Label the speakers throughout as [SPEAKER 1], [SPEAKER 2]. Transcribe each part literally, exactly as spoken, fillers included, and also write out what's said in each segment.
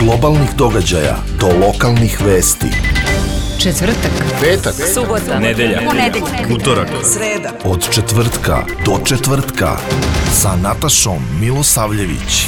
[SPEAKER 1] globalnih događaja do lokalnih vesti.
[SPEAKER 2] Četvrtak,
[SPEAKER 1] petak,
[SPEAKER 2] subota,
[SPEAKER 3] nedelja,
[SPEAKER 2] ponedeljak,
[SPEAKER 3] utorak,
[SPEAKER 2] sreda.
[SPEAKER 1] Od četvrtka do četvrtka sa Natašom Milosavljević.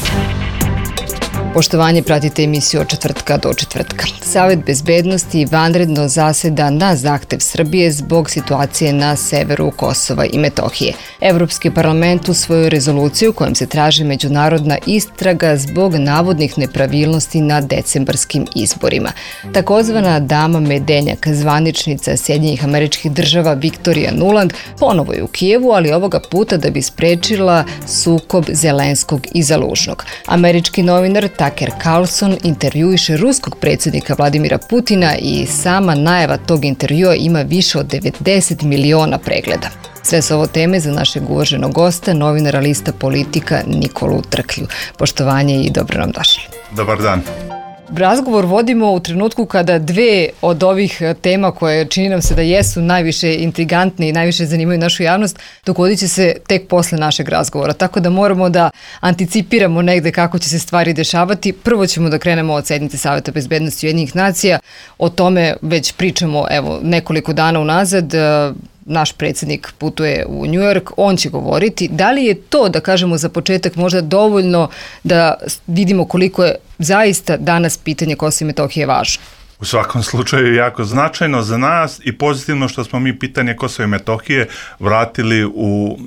[SPEAKER 2] Poštovanje, pratite emisiju od četvrtka do četvrtka. Savet bezbednosti vanredno zaseda na zahtev Srbije zbog situacije na severu Kosova i Metohije. Evropski parlament usvojio rezoluciju kojom se traži međunarodna istraga zbog navodnih nepravilnosti na decembarskim izborima. Takozvana dama Medenjak, zvaničnica Sjedinjenih Američkih Država Viktorija Nuland, ponovo je u Kijevu, ali ovoga puta da bi sprečila sukob Zelenskog i Zalužnog. Američki novinar Tucker Carlson intervjuiše ruskog predsjednika Vladimira Putina i sama najava tog intervjua ima više od devedeset miliona pregleda. Sve su ovo teme za našeg uvaženog gosta, novinara lista Politika Nikolu Trklju. Poštovanje i dobro nam došli.
[SPEAKER 4] Dobar dan.
[SPEAKER 2] Razgovor vodimo u trenutku kada dve od ovih tema koje čini nam se da jesu najviše intrigantne i najviše zanimaju našu javnost, dogodit će se tek posle našeg razgovora. Tako da moramo da anticipiramo negde kako će se stvari dešavati. Prvo ćemo da krenemo od sednice Saveta bezbednosti Ujedinjenih nacija. O tome već pričamo evo nekoliko dana unazad. Naš predsjednik putuje u New York, on će govoriti. Da li je to, da kažemo za početak, možda dovoljno da vidimo koliko je zaista danas pitanje Kosova i Metohije važno?
[SPEAKER 4] U svakom slučaju jako značajno za nas i pozitivno što smo mi pitanje Kosova i Metohije vratili u, uh,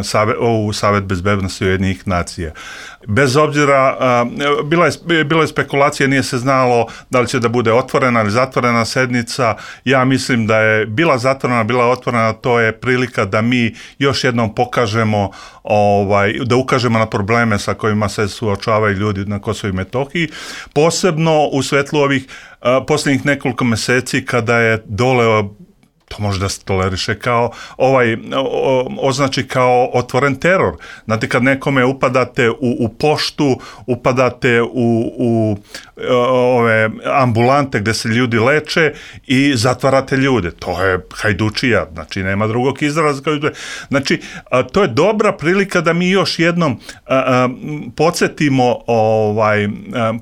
[SPEAKER 4] save, u Savet bezbednosti Ujedinjenih nacija. Bez obzira, uh, bila, je, bila je spekulacija, nije se znalo da li će da bude otvorena ili zatvorena sednica. Ja mislim da je bila zatvorena, bila otvorena, to je prilika da mi još jednom pokažemo, ovaj, da ukažemo na probleme sa kojima se suočavaju ljudi na Kosovu i Metohiji, posebno u svetlu ovih Uh, posljednjih nekoliko mjeseci kada je dole, to može da se toleriše kao, ovaj, o, označi kao otvoren teror. Znate, kad nekome upadate u, u poštu, upadate u, u ove ambulante gdje se ljudi leče i zatvarate ljude. To je hajdučija, znači nema drugog izraza. Znači, a, to je dobra prilika da mi još jednom a, a, podsjetimo, ovaj, a,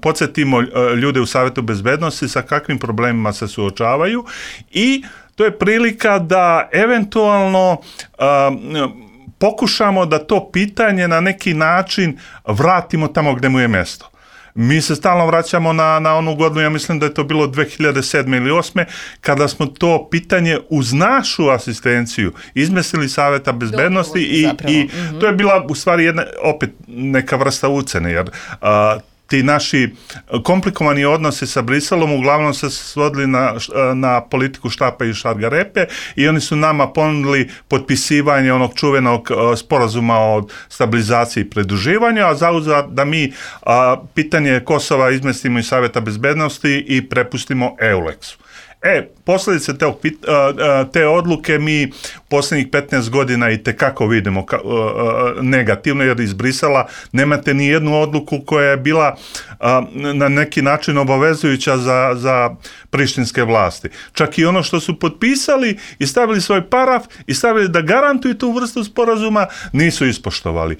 [SPEAKER 4] podsjetimo ljude u Savetu bezbednosti sa kakvim problemima se suočavaju i to je prilika da eventualno um, pokušamo da to pitanje na neki način vratimo tamo gdje mu je mjesto. Mi se stalno vraćamo na, na onu godinu, ja mislim da je to bilo dve hiljade sedme ili osme, kada smo to pitanje uz našu asistenciju izmislili Saveta bezbednosti i, i mm-hmm. to je bila u stvari jedna, opet neka vrsta ucene, jer uh, ti naši komplikovani odnosi sa Briselom uglavnom se svodili na, na politiku štapa i šargarepe i oni su nama ponudili potpisivanje onog čuvenog sporazuma o stabilizaciji i pridruživanju, a zauzvrat da mi a, pitanje Kosova izmestimo iz Saveta bezbednosti i prepustimo EULEX-u. E, posljedice te, te odluke mi posljednjih petnaest godina i tekako vidimo ka, negativno, jer iz Brisela nemate ni jednu odluku koja je bila na neki način obavezujuća za, za prištinske vlasti. Čak i ono što su potpisali i stavili svoj paraf i stavili da garantuju tu vrstu sporazuma, nisu ispoštovali.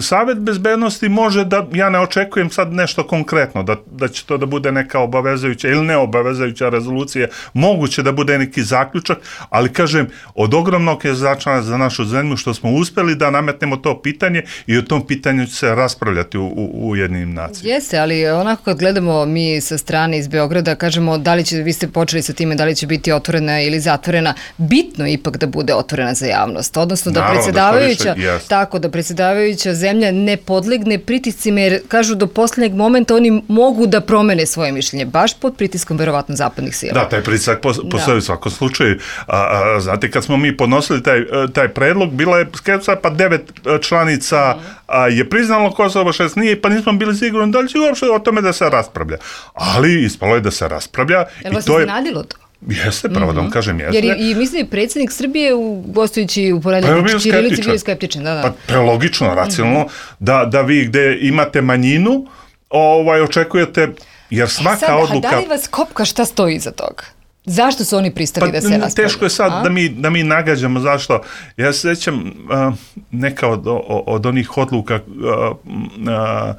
[SPEAKER 4] Savet bezbednosti može da, ja ne očekujem sad nešto konkretno, da, da će to da bude neka obavezujuća ili neobavezujuća rezolucija, moguće da bude neki zaključak, ali kažem, od ogromnog je značaja za našu zemlju što smo uspjeli da nametnemo to pitanje i o tom pitanju će se raspravljati u, u, u Ujedinjenim nacijama.
[SPEAKER 2] Jeste, ali onako kad gledamo mi sa strane iz Beograda, kažemo da li će, vi ste počeli sa time, da li će biti otvorena ili zatvorena, bitno je ipak da bude otvorena za javnost, odnosno da
[SPEAKER 4] Naravno,
[SPEAKER 2] predsjedavajuća,
[SPEAKER 4] da više,
[SPEAKER 2] tako da predsjedavajuća zemlja ne podlegne pritiscima, jer kažu do posljednjeg momenta oni mogu da promene svoje mišljenje, baš pod pritiskom verovatno zapadnih sila.
[SPEAKER 4] Da, taj pritisak postoji u svakom slučaju. A, a, znate, kad smo mi podnosili taj, taj predlog, bila je skepsa, pa devet članica mm. a, je priznalo Kosovo, šest nije, pa nismo bili sigurni da li će uopšte o tome da se raspravlja. Ali ispalo je da se raspravlja.
[SPEAKER 2] Jel vas je iznenadilo to?
[SPEAKER 4] Jeste, pravo mm-hmm. da vam kažem, jeste.
[SPEAKER 2] Jer i, i mislim je predsjednik Srbije u, gostujući u porednju
[SPEAKER 4] pa
[SPEAKER 2] Čirilici bio skeptičan. Da, da.
[SPEAKER 4] Pa prelogično, racionalno, mm-hmm. da, da vi gde imate manjinu, ovaj, očekujete, jer svaka
[SPEAKER 2] e sad,
[SPEAKER 4] odluka...
[SPEAKER 2] A da li vas kopka šta stoji iza toga? Zašto su oni pristali
[SPEAKER 4] pa,
[SPEAKER 2] da se raspravljaju?
[SPEAKER 4] Teško je sad da mi, da mi nagađamo zašto. Ja se sjećam uh, neka od, od onih odluka uh, uh,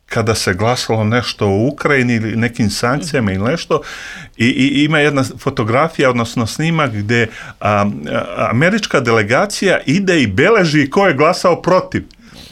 [SPEAKER 4] kada se glasalo nešto o Ukrajini ili nekim sankcijama ili nešto i, i ima jedna fotografija, odnosno snimak gdje a, a, američka delegacija ide i beleži ko je glasao protiv.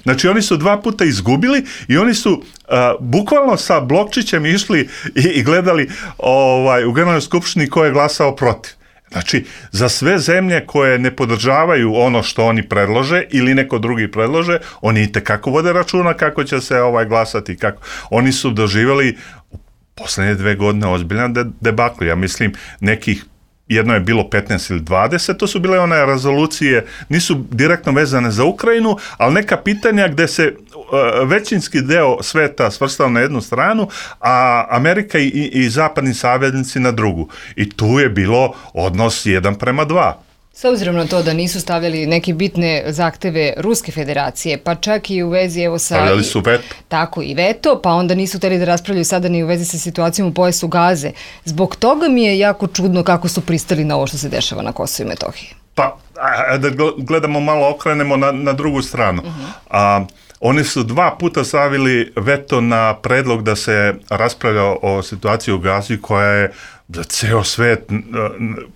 [SPEAKER 4] Znači oni su dva puta izgubili i oni su uh, bukvalno sa blokčićem išli i, i gledali ovaj, u Generalnoj skupštini ko je glasao protiv. Znači, za sve zemlje koje ne podržavaju ono što oni predlože ili neko drugi predlože, oni itekako vode računa kako će se ovaj glasati. Kako. Oni su doživjeli u posljednje dve godine ozbiljan de- debakl. Ja mislim, nekih jedno je bilo petnaest ili dvadeset, to su bile one rezolucije, nisu direktno vezane za Ukrajinu, ali neka pitanja gdje se uh, većinski deo sveta svrstao na jednu stranu, a Amerika i, i zapadni saveznici na drugu. I tu je bilo odnos jedan prema dva.
[SPEAKER 2] S obzirom na to da nisu stavljali neke bitne zahteve Ruske federacije, pa čak i u vezi evo sa...
[SPEAKER 4] Stavljali su veto.
[SPEAKER 2] Tako, i veto, pa onda nisu htjeli da raspravljaju sada ni u vezi sa situacijom u pojasu Gaze. Zbog toga mi je jako čudno kako su pristali na ovo što se dešava na Kosovu i Metohiji.
[SPEAKER 4] Pa, da gledamo malo, okrenemo na, na drugu stranu. Uh-huh. A, oni su dva puta stavili veto na predlog da se raspravlja o situaciji u Gazi koja je za ceo svet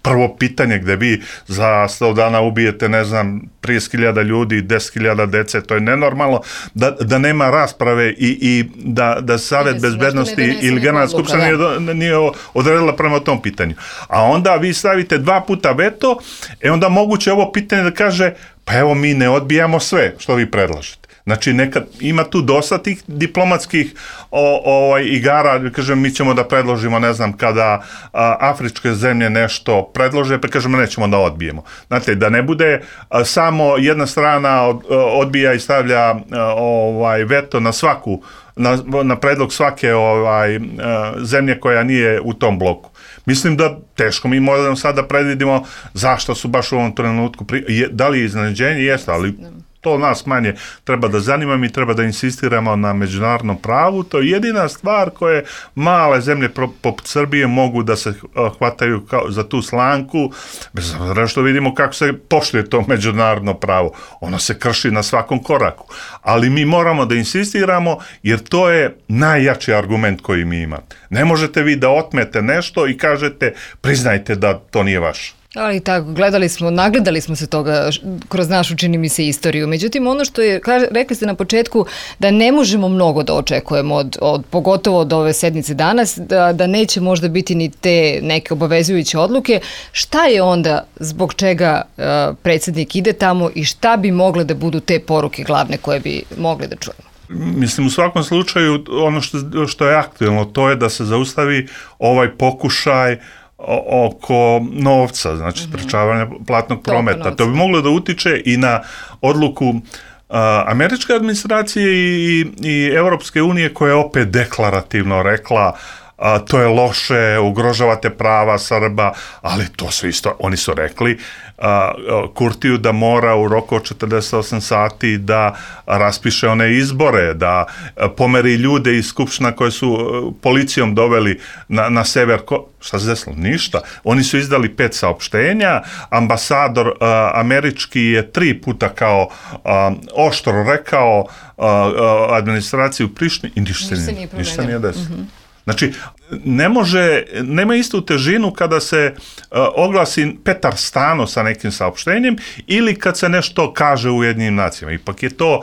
[SPEAKER 4] prvo pitanje gdje vi za sto dana ubijete, ne znam, trideset hiljada ljudi, deset hiljada dece, to je nenormalno da, da nema rasprave i, i da, da Savet bezbednosti ili Generalna skupština nije, nije odredila prema tom pitanju. A onda vi stavite dva puta veto, e onda moguće ovo pitanje da kaže, pa evo mi ne odbijamo sve što vi predlažete. Znači, nekad ima tu dosta tih diplomatskih o, ovaj, igara, kažem, mi ćemo da predložimo, ne znam, kada a, afričke zemlje nešto predlože, pa kažemo, nećemo da odbijemo. Znate, da ne bude a, samo jedna strana od, odbija i stavlja a, ovaj, veto na svaku, na, na predlog svake ovaj, a, zemlje koja nije u tom bloku. Mislim da teško mi možemo sada predvidimo zašto su baš u ovom trenutku, pri, je, da li je iznenađenje, jeste, ali to nas manje treba da zanima, mi treba da insistiramo na međunarodnom pravu, to je jedina stvar koje male zemlje poput Srbije mogu da se hvataju kao za tu slanku, bez obzira što vidimo kako se poštuje to međunarodno pravo. Ono se krši na svakom koraku. Ali mi moramo da insistiramo jer to je najjači argument koji mi imamo. Ne možete vi da otmete nešto i kažete priznajte da to nije vaše.
[SPEAKER 2] Ali tako, gledali smo, nagledali smo se toga kroz našu, čini mi se, istoriju. Međutim, ono što je, rekli ste na početku, da ne možemo mnogo da očekujemo, od, od, pogotovo od ove sednice danas, da, da neće možda biti ni te neke obavezujuće odluke. Šta je onda, zbog čega uh, predsjednik ide tamo i šta bi mogle da budu te poruke glavne koje bi mogli da čujemo?
[SPEAKER 4] Mislim, u svakom slučaju, ono što, što je aktuelno, to je da se zaustavi ovaj pokušaj oko novca, znači sprečavanja platnog prometa. To bi moglo da utiče i na odluku uh, američke administracije i, i Europske unije koja je opet deklarativno rekla a, to je loše, ugrožavate prava Srba, ali to su isto, oni su rekli a, Kurtiju da mora u roku od četrdeset osam sati da raspiše one izbore, da a, pomeri ljude iz skupština koje su a, policijom doveli na, na sever. Ko, šta se desilo? Ništa. Oni su izdali pet saopštenja, ambasador a, američki je tri puta kao a, oštro rekao a, a, administraciju u Prištini i ništa, ništa nije, ništa nije desilo. Mm-hmm. Znači, ne može, nema istu težinu kada se uh, oglasi Petar Stano sa nekim saopštenjem ili kad se nešto kaže u Ujedinjenim nacijama. Ipak je to,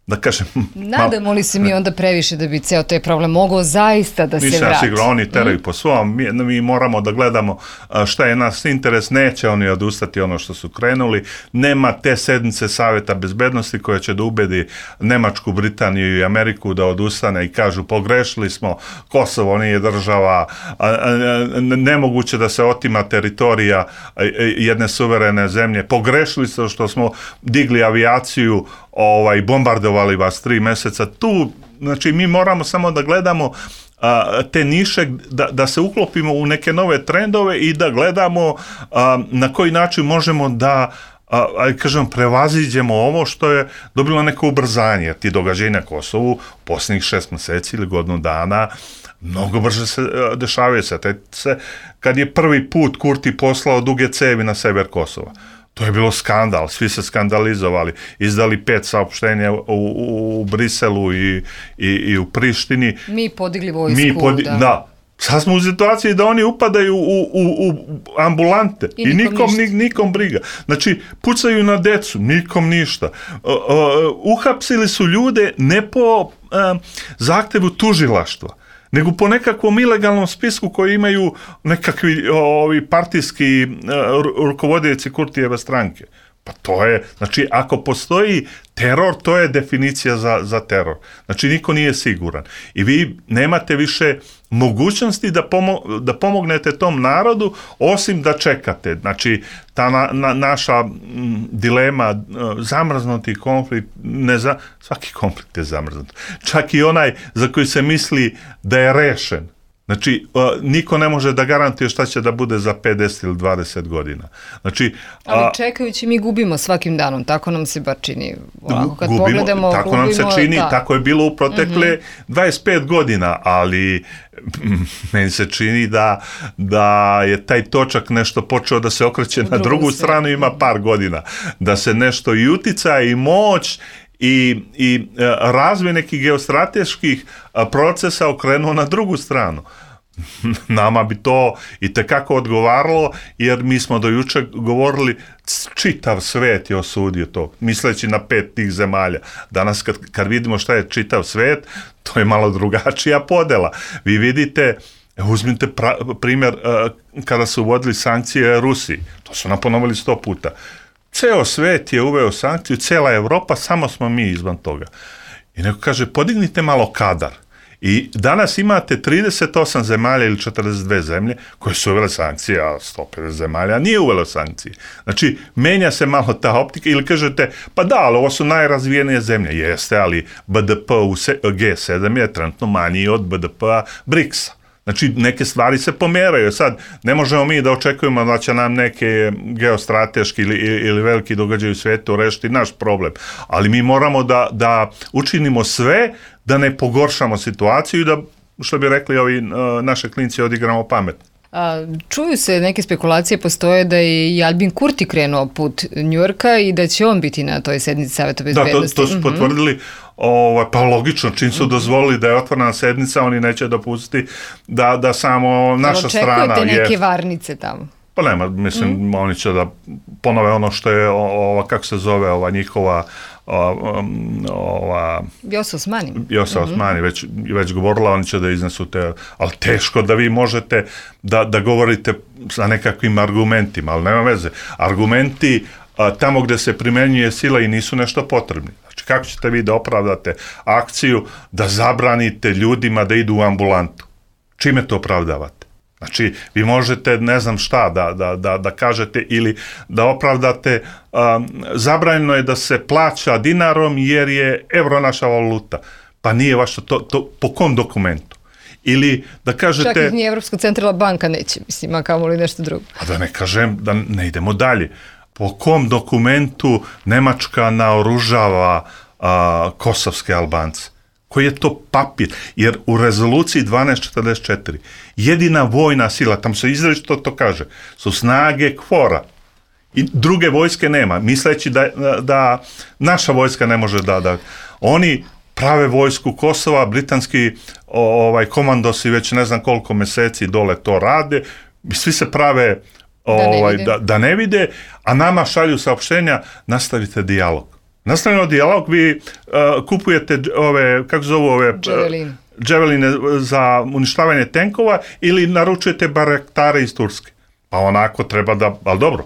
[SPEAKER 4] da kažem...
[SPEAKER 2] Nadamo li se mi onda previše da bi ceo taj problem mogao zaista da se vrati?
[SPEAKER 4] Sigurno, oni teraju mm. po svom, mi, mi moramo da gledamo šta je nas interes, neće oni odustati ono što su krenuli, nema te sednice Saveta bezbednosti koja će da ubedi Nemačku, Britaniju i Ameriku da odustane i kažu pogrešili smo, Kosovo nije država, nemoguće da se otima teritorija jedne suverene zemlje, pogrešili smo što smo digli avijaciju, ovaj, bombardovali vas tri mjeseca. Tu, znači, mi moramo samo da gledamo a, te niše, da, da se uklopimo u neke nove trendove i da gledamo a, na koji način možemo da a, a, kažem, prevaziđemo ovo što je dobilo neko ubrzanje. Ti događaji na Kosovu posljednjih šest mjeseci ili godinu dana mnogo brže se a, dešavaju se. Te, se. Kad je prvi put Kurti poslao duge cevi na sever Kosova. To je bilo skandal, svi se skandalizovali, izdali pet saopštenja u, u, u Briselu i, i, i u Prištini.
[SPEAKER 2] Mi podigli vojsku,
[SPEAKER 4] Mi podi-
[SPEAKER 2] da.
[SPEAKER 4] da. Sad smo u situaciji da oni upadaju u, u, u ambulante i,
[SPEAKER 2] I nikom,
[SPEAKER 4] nikom,
[SPEAKER 2] ništa.
[SPEAKER 4] ni, nikom briga. Znači, pucaju na decu, nikom ništa. Uh, uh, uhapsili su ljude ne po uh, zahtevu tužilaštva, nego po nekakvom ilegalnom spisku koji imaju nekakvi ovi partijski uh, rukovodioci Kurtijeve stranke. Pa to je, znači, ako postoji teror, to je definicija za, za teror. Znači, niko nije siguran. I vi nemate više mogućnosti da, pomo- da pomognete tom narodu, osim da čekate. Znači, ta na, na, naša m, dilema, zamrznuti konflikt, ne za, svaki konflikt je zamrznut. Čak i onaj za koji se misli da je rešen. Znači, uh, niko ne može da garantuje šta će da bude za pedeset ili dvadeset godina. Znači,
[SPEAKER 2] Ali
[SPEAKER 4] a,
[SPEAKER 2] čekajući mi gubimo svakim danom, tako nam se bar čini. Ovako, kad
[SPEAKER 4] gubimo,
[SPEAKER 2] pogledamo,
[SPEAKER 4] tako
[SPEAKER 2] gubimo,
[SPEAKER 4] nam se čini,
[SPEAKER 2] da.
[SPEAKER 4] tako je bilo u protekle
[SPEAKER 2] mm-hmm.
[SPEAKER 4] dvadeset pet godina, ali meni se čini da, da je taj točak nešto počeo da se okreće na drugu stranu, ima par godina. Da se nešto i uticaj i moć i, i razvoj nekih geostrateških procesa okrenuo na drugu stranu. Nama bi to i tekako odgovaralo, jer mi smo do juče govorili čitav svet je osudio to, misleći na pet tih zemalja. Danas kad, kad vidimo šta je čitav svet, to je malo drugačija podela. Vi vidite, uzmite pra, primjer uh, kada su uvodili sankcije Rusiji, to su nam ponovili sto puta. Ceo svet je uveo sankciju, cela Evropa, samo smo mi izvan toga. I neko kaže, podignite malo kadar. I danas imate trideset osam zemalja ili četrdeset dve zemlje koje su uvele sankcije, a sto pedeset zemalja nije uvelo sankcije. Znači, menja se malo ta optika ili kažete, pa da, ali ovo su najrazvijenije zemlje. Jeste, ali B D P u G sedam je trenutno manji od B D P-a briksa. Znači, neke stvari se pomeraju. Sad, ne možemo mi da očekujemo da će nam neke geostrateški ili, ili veliki događaj u svijetu rešiti naš problem. Ali mi moramo da, da učinimo sve da ne pogoršamo situaciju i da, što bi rekli ovi naše klinci, odigramo pametno.
[SPEAKER 2] A, čuju se neke spekulacije, postoje da je i Albin Kurti krenuo put Njujorka i da će on biti na toj sednici Saveta bezbednosti.
[SPEAKER 4] Da, to, to su potvrdili, ovaj, pa logično, čim su dozvolili da je otvorena sednica, oni neće dopustiti da, da samo naša strana...
[SPEAKER 2] Očekujete neke je, varnice tamo?
[SPEAKER 4] Pa nema, mislim, mm. oni će da ponove ono što je, ova, kako se zove, ova njihova... ova
[SPEAKER 2] Vjosa Osmani.
[SPEAKER 4] Vjosa mm-hmm. Osmani već, već govorila, oni će da iznesu te, ali teško da vi možete da, da govorite sa nekakvim argumentima, ali nema veze. Argumenti a, tamo gde se primenjuje sila i nisu nešto potrebni. Znači, kako ćete vi da opravdate akciju da zabranite ljudima da idu u ambulantu? Čime to opravdavate? Znači, vi možete, ne znam šta, da, da, da, da kažete ili da opravdate, um, zabranjeno je da se plaća dinarom jer je evro naša valuta. Pa nije vaša, to, to po kom dokumentu? Ili da kažete...
[SPEAKER 2] Čak i nije Evropska centralna banka neće, mislim, a kamo li nešto drugo.
[SPEAKER 4] A da ne kažem, da ne idemo dalje. Po kom dokumentu Nemačka naoružava a, kosovske Albance? Koji je to papir? Jer u rezoluciji dvanaest četrdeset četiri jedina vojna sila, tam se izričito to kaže, su snage KFOR-a. I druge vojske nema, misleći da, da naša vojska ne može da... da oni prave vojsku Kosova, britanski ovaj, komandosi već ne znam koliko meseci dole to rade, svi se prave ovaj, da, ne da, da ne vide, a nama šalju saopštenja, nastavite dijalog. Nastavljeno dijalog, vi uh, kupujete ove, kako zove ove...
[SPEAKER 2] Javelin.
[SPEAKER 4] Javeline za uništavanje tenkova ili naručujete barektare iz Turske. Pa onako treba da, ali dobro,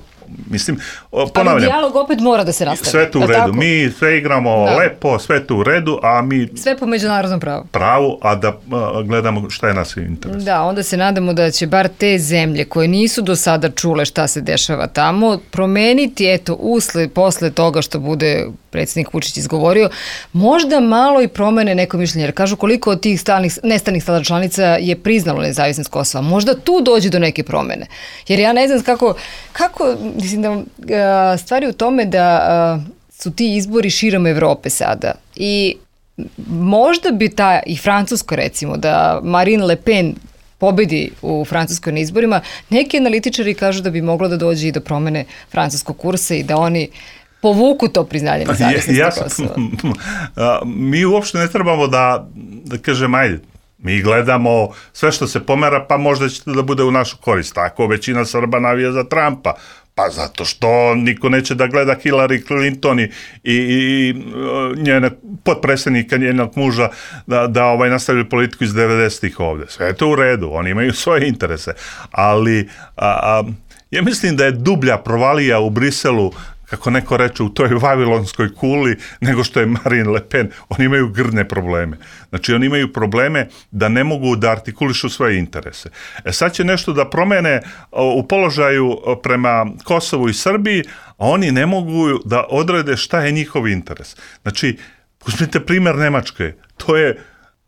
[SPEAKER 4] mislim, ponavljam.
[SPEAKER 2] Ali dijalog opet mora da se nastavi.
[SPEAKER 4] Sve tu u redu, tako? Mi sve igramo da. lepo, sve tu u redu, a mi...
[SPEAKER 2] Sve po međunarodnom pravu.
[SPEAKER 4] Pravu, a da a, gledamo šta je nas interes.
[SPEAKER 2] Da, onda se nadamo da će bar te zemlje koje nisu do sada čule šta se dešava tamo, promeniti, eto, usled, posle toga što bude predsjednik Vučić izgovorio, možda malo i promene neko mišljenje, jer kažu koliko od tih stalnih, nestanih sada članica je priznalo nezavisnost Kosova. Možda tu dođe do neke promene. Jer ja ne znam kako, kako mislim da stvari u tome da su ti izbori širom Evrope sada i možda bi ta, i Francuska recimo, da Marine Le Pen pobedi u Francuskoj na izborima, neki analitičari kažu da bi moglo da dođe i do promene francuskog kursa i da oni povuku to priznanje nezavisnosti
[SPEAKER 4] ja,
[SPEAKER 2] Kosova.
[SPEAKER 4] Mi uopšte ne trebamo da, da kažem, ajde, mi gledamo sve što se pomera, pa možda će da bude u našu korist. Tako većina Srba navija za Trumpa. Pa zato što niko neće da gleda Hillary Clinton i, i, i njene potpredsjednika, njenog muža da, da ovaj nastavili politiku iz devedesetih ovde. Sve je to u redu, oni imaju svoje interese. Ali a, a, ja mislim da je dublja provalija u Briselu, kako neko reče, u toj vavilonskoj kuli, nego što je Marine Le Pen. Oni imaju grdne probleme. Znači, oni imaju probleme da ne mogu da artikulišu svoje interese. E sad će nešto da promene u položaju prema Kosovu i Srbiji, a oni ne mogu da odrede šta je njihov interes. Znači, uzmite primjer Nemačke. To je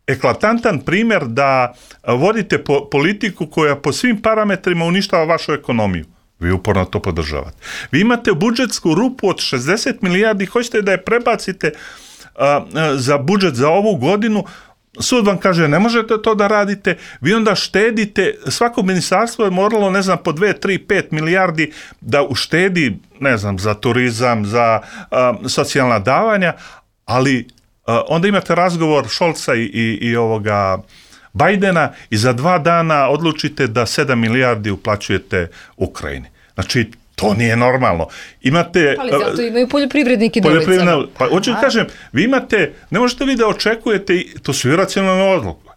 [SPEAKER 4] eklatantan primjer da vodite po, politiku koja po svim parametrima uništava vašu ekonomiju. Vi uporno to podržavate. Vi imate budžetsku rupu od šezdeset milijardi, hoćete da je prebacite a, a, za budžet za ovu godinu, sud vam kaže ne možete to da radite, vi onda štedite, svako ministarstvo je moralo, ne znam, po dve, tri, pet milijardi da uštedi, ne znam, za turizam, za a, socijalna davanja, ali a, onda imate razgovor Šolca i, i, i ovoga Bajdena i za dva dana odlučite da sedam milijardi uplaćujete Ukrajini. Znači, to nije normalno. Imate...
[SPEAKER 2] Ali zato imaju poljoprivredniki na ulicama.
[SPEAKER 4] Pa, hoću da kažem, vi imate, ne možete vi da očekujete, to su iracionalne odluke.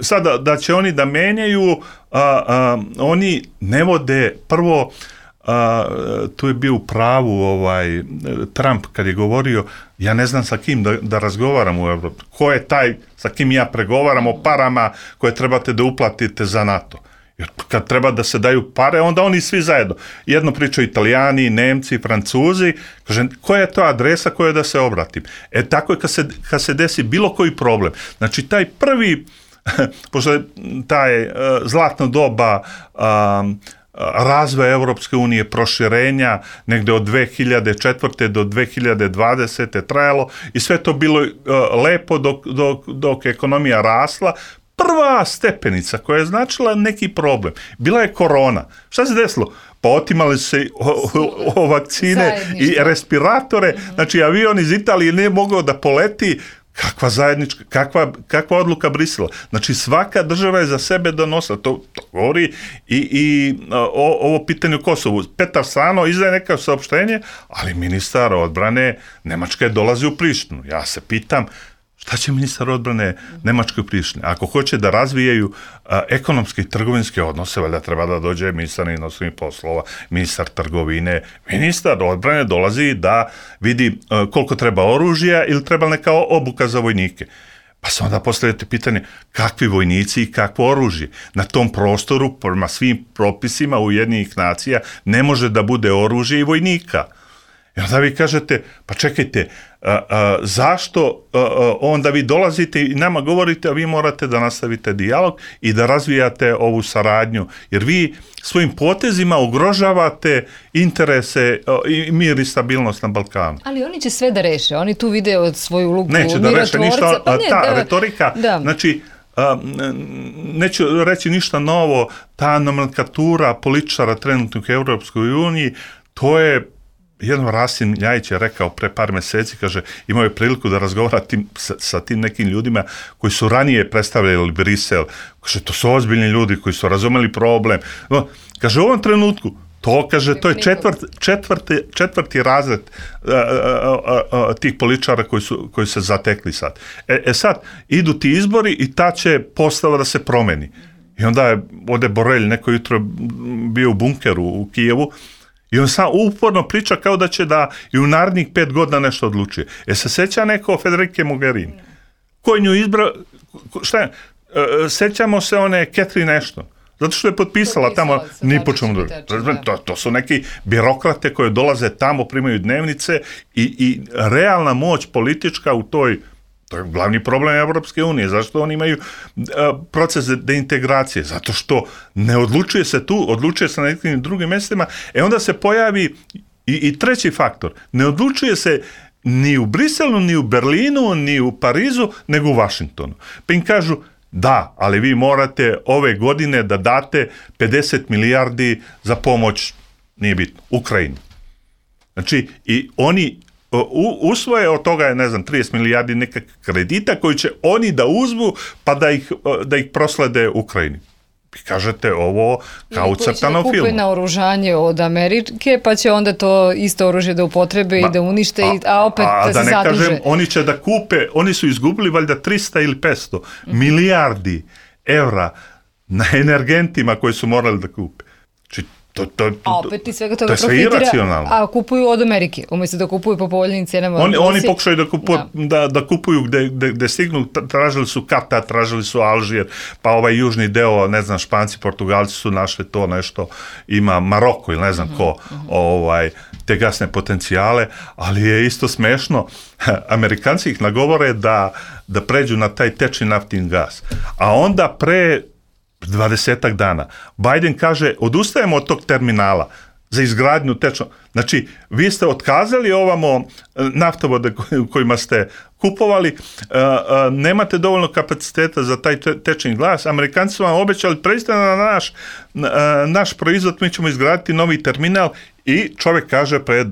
[SPEAKER 4] Sada, da će oni da menjaju, a, a, oni ne vode, prvo, a, tu je bio u pravu ovaj, Trump kad je govorio, ja ne znam sa kim da, da razgovaram u Evropi. Ko je taj sa kim ja pregovaram o parama koje trebate da uplatite za NATO? Jer kad treba da se daju pare, onda oni svi zajedno. Jedno pričaju Italijani, Nemci, Francuzi. Kažem, koja je to adresa koja da se obratim? E tako je kad se, kad se desi bilo koji problem. Znači, taj prvi, pošto je taj uh, zlatno doba um, razvoja Evropske unije, proširenja, negde od dve hiljade četvrte do dve hiljade dvadesete trajalo i sve to bilo uh, lepo dok, dok, dok ekonomija rasla. Prva stepenica koja je značila neki problem, bila je korona. Šta se desilo? Pa otimali su se o, o, o vakcine i respiratore, mm-hmm. Znači avion iz Italije nije mogao da poleti. Kakva zajednička, kakva, kakva odluka Brisela. Znači svaka država je za sebe donosila. To, to govori i, i o, ovo pitanje u Kosovu. Petar Sano izdaje neka saopštenje, ali ministar odbrane Nemačke dolazi u Prištinu. Ja se pitam, šta će ministar odbrane Nemačke u Prištini? Ako hoće da razvijaju a, ekonomske i trgovinske odnose, valjda treba da dođe ministar inostranih poslova, ministar trgovine, ministar odbrane dolazi da vidi a, koliko treba oružja ili treba neka obuka za vojnike. Pa se onda postavljate pitanje kakvi vojnici i kakvo oružje. Na tom prostoru, prema svim propisima Ujedinjenih nacija, ne može da bude oružje i vojnika. I onda vi kažete, pa čekajte, a, a, zašto a, a, onda vi dolazite i nama govorite, a vi morate da nastavite dijalog i da razvijate ovu saradnju, jer vi svojim potezima ugrožavate interese a, i mir i stabilnost na Balkanu.
[SPEAKER 2] Ali oni će sve da reše, oni tu vide od svoju ulogu
[SPEAKER 4] neće da reše ništa,
[SPEAKER 2] pa ne,
[SPEAKER 4] ta
[SPEAKER 2] da,
[SPEAKER 4] retorika, da. Znači, a, neću reći ništa novo, ta nomenklatura političara trenutnog u Europskoj uniji, to je jedno Rasim Ljajić je rekao pre par meseci, kaže, imao je priliku da razgovara tim, sa, sa tim nekim ljudima koji su ranije predstavljali Brisel. Kaže, to su ozbiljni ljudi koji su razumeli problem. No, kaže, u ovom trenutku, to, kaže, to je četvrt, četvrti, četvrti razred a, a, a, a, tih političara koji su, koji se zatekli sad. E, e sad, idu ti izbori i ta će postava da se promeni. I onda je ode Borelj, neko jutro bio u bunkeru u Kijevu, i on sam uporno priča kao da će da i u narednih pet godina nešto odlučuje. E se seća neko Federike Mogherini? Ko je nju izbrao? Šta je? E, sećamo se one Catherine Ashton. Zato što je potpisala, potpisala tamo ni po čemu drugo. To, to su neki birokrate koje dolaze tamo, primaju dnevnice i, i realna moć politička u toj. To je glavni problem Evropske unije. Zašto oni imaju uh, proces deintegracije? Zato što ne odlučuje se tu, odlučuje se na nekim drugim mjestima. E onda se pojavi i, i treći faktor. Ne odlučuje se ni u Briselu, ni u Berlinu, ni u Parizu, nego u Vašingtonu. Pa im kažu, Da, ali vi morate ove godine da date pedeset milijardi za pomoć, nije bitno, Ukrajini. Znači, i oni u, usvoje od toga je, ne znam, trideset milijardi neka kredita koji će oni da uzmu pa da ih, da ih proslede Ukrajini. Vi kažete ovo kao u crtanom filmu. Ili koji će da kupe
[SPEAKER 2] naoružanje od Amerike, pa će onda to isto oružje da upotrebe Ma, i da unište, a, a opet
[SPEAKER 4] a,
[SPEAKER 2] da,
[SPEAKER 4] da
[SPEAKER 2] se
[SPEAKER 4] ne
[SPEAKER 2] zaduže.
[SPEAKER 4] Kažem, oni će da kupe, oni su izgubili valjda tristo ili petsto mm-hmm. milijardi evra na energentima koji su morali da kupe. Znači, To, to, to,
[SPEAKER 2] a opet i svega toga
[SPEAKER 4] to
[SPEAKER 2] profitira, a kupuju od Amerike, umjesto da kupuju po povoljnim cenama.
[SPEAKER 4] Oni, oni pokušaju da kupuju, da. Da, da kupuju gde, gde, gde stignu, tražili su Katar, tražili su Alžir, pa ovaj južni deo, ne znam, Španci, Portugalci su našli to nešto, ima Maroko ili ne znam mm-hmm, ko, mm-hmm. ovaj, te gasne potencijale, ali je isto smešno, Amerikanci ih nagovore da, da pređu na taj tečni naftni gas, a onda pre dvadesetak dana. Biden kaže, odustajemo od tog terminala za izgradnju tečnog. Znači, vi ste otkazali ovamo naftovode u kojima ste kupovali, nemate dovoljno kapaciteta za taj tečni gas, Amerikanci su vam obećali, pređite na naš, naš proizvod, mi ćemo izgraditi novi terminal i čovjek kaže pre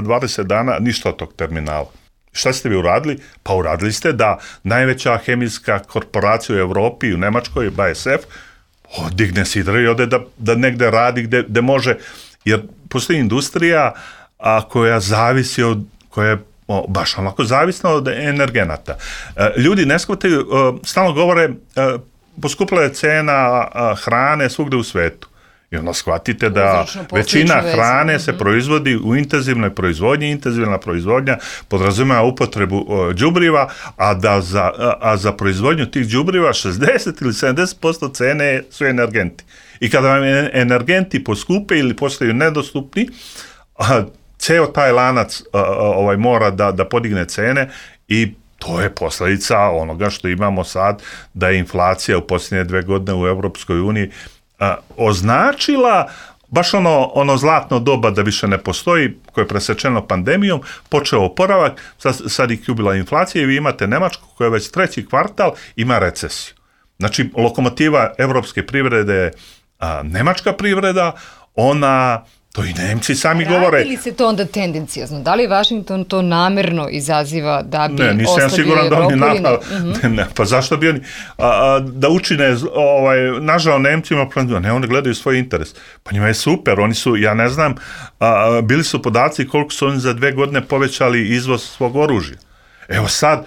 [SPEAKER 4] dvadeset dana ništa od tog terminala. Šta ste vi uradili? Pa uradili ste da najveća hemijska korporacija u Evropi i u Nemačkoj, B A S F, digne sidra i ode da, da negde radi gde, gde može, jer postoji industrija a, koja zavisi od, koja je o, baš onako zavisna od energenata. E, ljudi ne shvataju, e, stalno govore, e, poskupila je cena a, hrane svugde u svetu. I onda shvatite da većina hrane se proizvodi u intenzivnoj proizvodnji, intenzivna proizvodnja podrazumijeva upotrebu đubriva, a da za, a za proizvodnju tih đubriva šezdeset ili sedamdeset posto cene su energenti. I kada vam energenti poskupe ili postaju nedostupni, ceo taj lanac ovaj, mora da, da podigne cene i to je posljedica onoga što imamo sad, da je inflacija u posljednje dve godine u Europskoj uniji A, označila baš ono, ono zlatno doba da više ne postoji, koje je presečeno pandemijom, počeo oporavak, sad, sad ih ubila inflacija i vi imate Nemačku koja već treći kvartal ima recesiju. Znači, lokomotiva evropske privrede je a, nemačka privreda, ona, to i Nemci sami
[SPEAKER 2] Radi
[SPEAKER 4] govore.
[SPEAKER 2] Radi li se to onda tendencijozno? Da li Washington to namerno izaziva da bi
[SPEAKER 4] ne, nisam siguran da oni napad, mm-hmm. ne, pa zašto bi oni a, a, da učine ovaj, nažao Nemcima, ne, oni gledaju svoj interes. Pa njima je super, oni su, ja ne znam, a, bili su podaci koliko su oni za dve godine povećali izvoz svog oružja. Evo sad,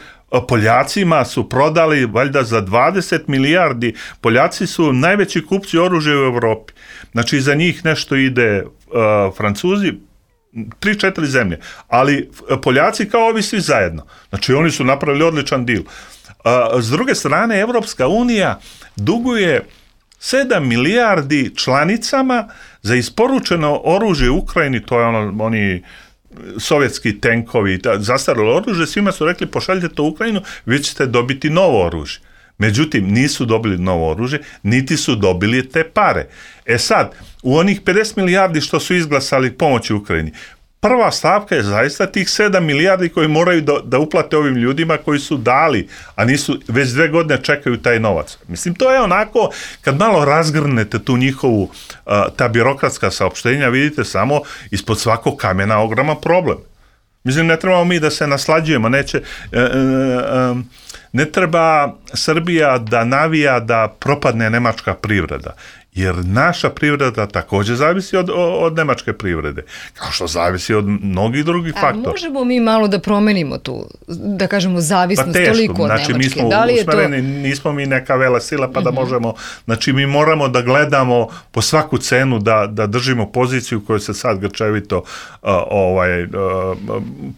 [SPEAKER 4] Poljacima su prodali valjda za dvadeset milijardi, Poljaci su najveći kupci oružja u Evropi. Znači, za njih nešto ide uh, Francuzi, tri, četiri zemlje, ali Poljaci kao ovi svi zajedno. Znači, oni su napravili odličan dil. Uh, s druge strane, Evropska unija duguje sedam milijardi članicama za isporučeno oružje u Ukrajini, to je ono, oni sovjetski tenkovi, zastarilo oružje, svima su rekli pošaljite to u Ukrajinu, vi ćete dobiti novo oružje. Međutim, nisu dobili novo oružje, niti su dobili te pare. E sad, u onih pedeset milijardi što su izglasali pomoći Ukrajini, prva stavka je zaista tih sedam milijardi koji moraju da, da uplate ovim ljudima koji su dali, a nisu, već dve godine čekaju taj novac. Mislim, to je onako, kad malo razgrnete tu njihovu, ta birokratska saopštenja, vidite samo ispod svakog kamena ogroman problem. Mislim, ne trebamo mi da se naslađujemo, neće, e, e, e, ne treba Srbija da navija da propadne nemačka privreda, jer naša privreda također zavisi od, od nemačke privrede, kao što zavisi od mnogih drugih
[SPEAKER 2] A
[SPEAKER 4] faktora.
[SPEAKER 2] Možemo mi malo da promenimo tu, da kažemo, zavisnost
[SPEAKER 4] pa teško,
[SPEAKER 2] toliko od
[SPEAKER 4] znači,
[SPEAKER 2] Nemačke?
[SPEAKER 4] Mi smo
[SPEAKER 2] da li je
[SPEAKER 4] usmereni,
[SPEAKER 2] to...
[SPEAKER 4] nismo mi neka vela sila pa da
[SPEAKER 2] mm-hmm.
[SPEAKER 4] možemo, znači mi moramo da gledamo po svaku cenu da, da držimo poziciju koju se sad grčevito uh, ovaj, uh,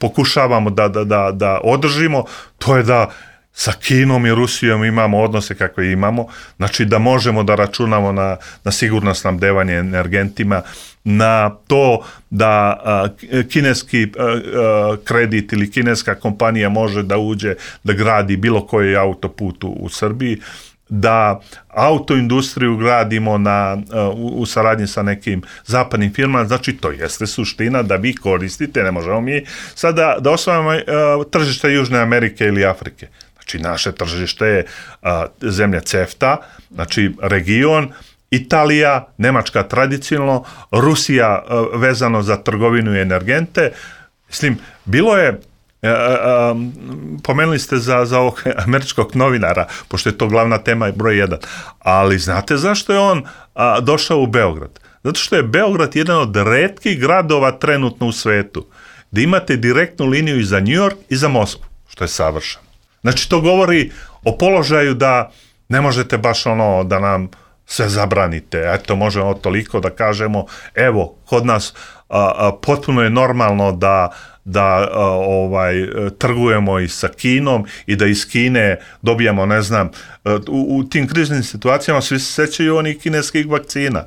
[SPEAKER 4] pokušavamo da, da, da, da održimo, to je da sa Kinom i Rusijom imamo odnose kakve imamo, znači da možemo da računamo na, na sigurno snabdevanje energentima, na to da a, kineski a, a, kredit ili kineska kompanija može da uđe, da gradi bilo koji autoput u, u Srbiji, da autoindustriju gradimo na, u, u saradnji sa nekim zapadnim firmama, znači to jeste suština da vi koristite, ne možemo mi sada da osvajamo uh, tržište Južne Amerike ili Afrike. znači naše tržište je a, zemlja CEFTA, znači region, Italija, Nemačka tradicionalno, Rusija a, vezano za trgovinu i energente. Mislim, bilo je, a, a, pomenuli ste za, za ovog američkog novinara, pošto je to glavna tema broj jedan, ali znate zašto je on a, došao u Beograd? Zato što je Beograd jedan od retkih gradova trenutno u svetu, gdje imate direktnu liniju i za New York i za Moskvu, što je savršeno. Znači, to govori o položaju da ne možete baš ono da nam sve zabranite. Eto, možemo toliko da kažemo, evo, kod nas a, a, potpuno je normalno da, da a, ovaj, trgujemo i sa Kinom i da iz Kine dobijamo, ne znam, u, u tim kriznim situacijama svi se sećaju onih kineskih vakcina.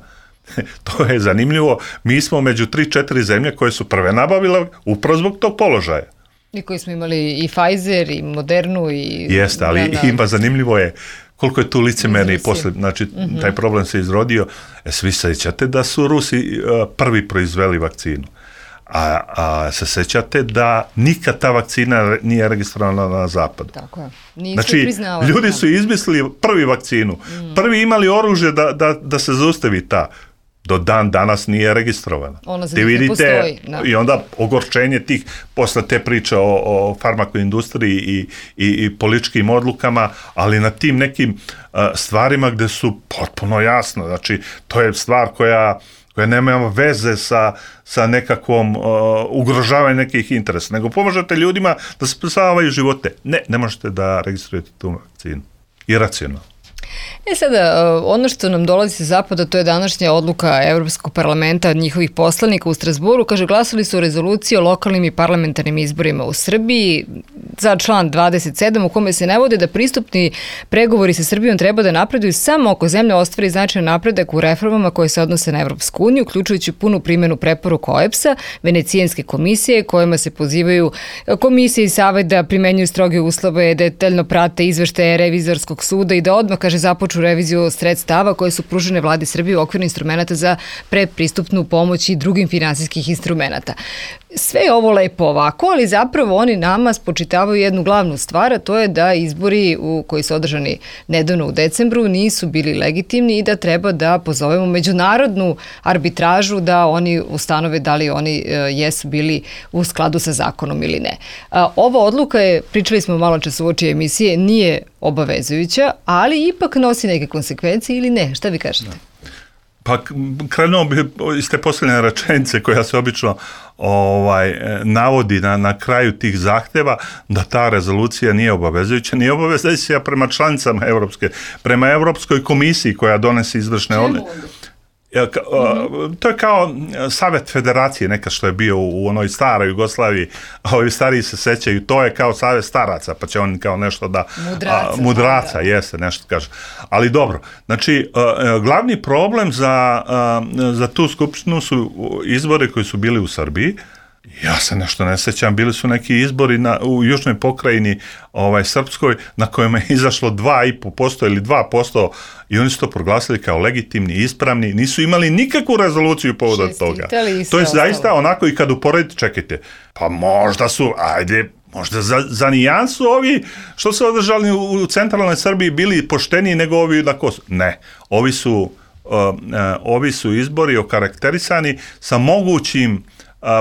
[SPEAKER 4] To je zanimljivo. Mi smo među tri četiri zemlje koje su prve nabavile upravo zbog tog položaja.
[SPEAKER 2] I koji smo imali i Pfizer i Modernu i...
[SPEAKER 4] Jeste, ali
[SPEAKER 2] da,
[SPEAKER 4] ima zanimljivo je koliko je tu licemjerni posle, znači mm-hmm. taj problem se izrodio. E, svi sećate da su Rusi uh, prvi proizveli vakcinu. A, a se sećate da nikad ta vakcina nije registrovana na zapadu.
[SPEAKER 2] Tako je. Nisu
[SPEAKER 4] znači,
[SPEAKER 2] priznavali.
[SPEAKER 4] Ljudi su izmislili prvi vakcinu. Mm. Prvi imali oružje da, da, da se zaustavi ta. Do dan danas nije registrovana.
[SPEAKER 2] Ona za njih ne postoji. Da.
[SPEAKER 4] I onda ogorčenje tih, posle te priče o, o farmakoindustriji i, i, i političkim odlukama, ali na tim nekim uh, stvarima gde su potpuno jasno. Znači, to je stvar koja koja nema veze sa, sa nekakvom uh, ugrožavanjem nekih interesa, nego pomažete ljudima da se spasavaju živote. Ne, ne možete da registrujete tu vakcinu. Iracionalno.
[SPEAKER 2] E sada, ono što nam dolazi sa zapada, to je današnja odluka Evropskog parlamenta, njihovih poslanika u Strasburu, kaže, glasali su o rezoluciji o lokalnim i parlamentarnim izborima u Srbiji za član dvadeset sedam u kome se navode da pristupni pregovori sa Srbijom treba da napreduju samo ako zemlja ostvari značajan napredak u reformama koje se odnose na Evropsku uniju, uključujući punu primjenu preporuka O E B S-a, Venecijanske komisije, kojima se pozivaju komisije i savet da primenjuju stroge uslove, detaljno prate izveštaje Revizorskog suda i da odmah, kaže, započu reviziju sredstava koje su pružene vladi Srbije u okviru instrumenta za predpristupnu pomoć i drugim finansijskih instrumenta. Sve je ovo lepo ovako, ali zapravo oni nama spočitavaju jednu glavnu stvar, a to je da izbori u, koji su održani nedavno u decembru nisu bili legitimni i da treba da pozovemo međunarodnu arbitražu da oni ustanove da li oni e, jesu bili u skladu sa zakonom ili ne. A, ova odluka je, pričali smo malo čas u oči emisije, nije obavezujuća, ali ipak nosi neke konsekvencije ili ne? Šta vi kažete? No.
[SPEAKER 4] Pa krenuo bi iz te posljednje rečenice koja se obično ovaj, navodi na, na kraju tih zahteva da ta rezolucija nije obavezujuća. Nije obavezujuća prema članicama Evropske, prema Evropskoj komisiji koja donese izvršne odluke. Mm-hmm. To je kao Savet federacije nekad što je bio u onoj staroj Jugoslaviji, a ovi stariji se sećaju, to je kao Savet staraca, pa će oni kao nešto da...
[SPEAKER 2] Mudraca.
[SPEAKER 4] A, mudraca, da. Jeste, nešto kaže. Ali dobro, znači, glavni problem za, za tu skupštinu su izbori koji su bili u Srbiji. Ja se nešto ne sećam, bili su neki izbori na, u južnoj pokrajini ovaj, srpskoj na kojima je izašlo dva i po posto ili dva posto i oni su to proglasili kao legitimni, ispravni, nisu imali nikakvu rezoluciju povodom toga. To je zaista onako i kad uporedite, čekajte, pa možda su, ajde, možda za, za nijansu ovi što su održali u, u centralnoj Srbiji bili pošteniji nego ovi na Kosovu. Ne, ovi su, uh, uh, ovi su izbori okarakterisani sa mogućim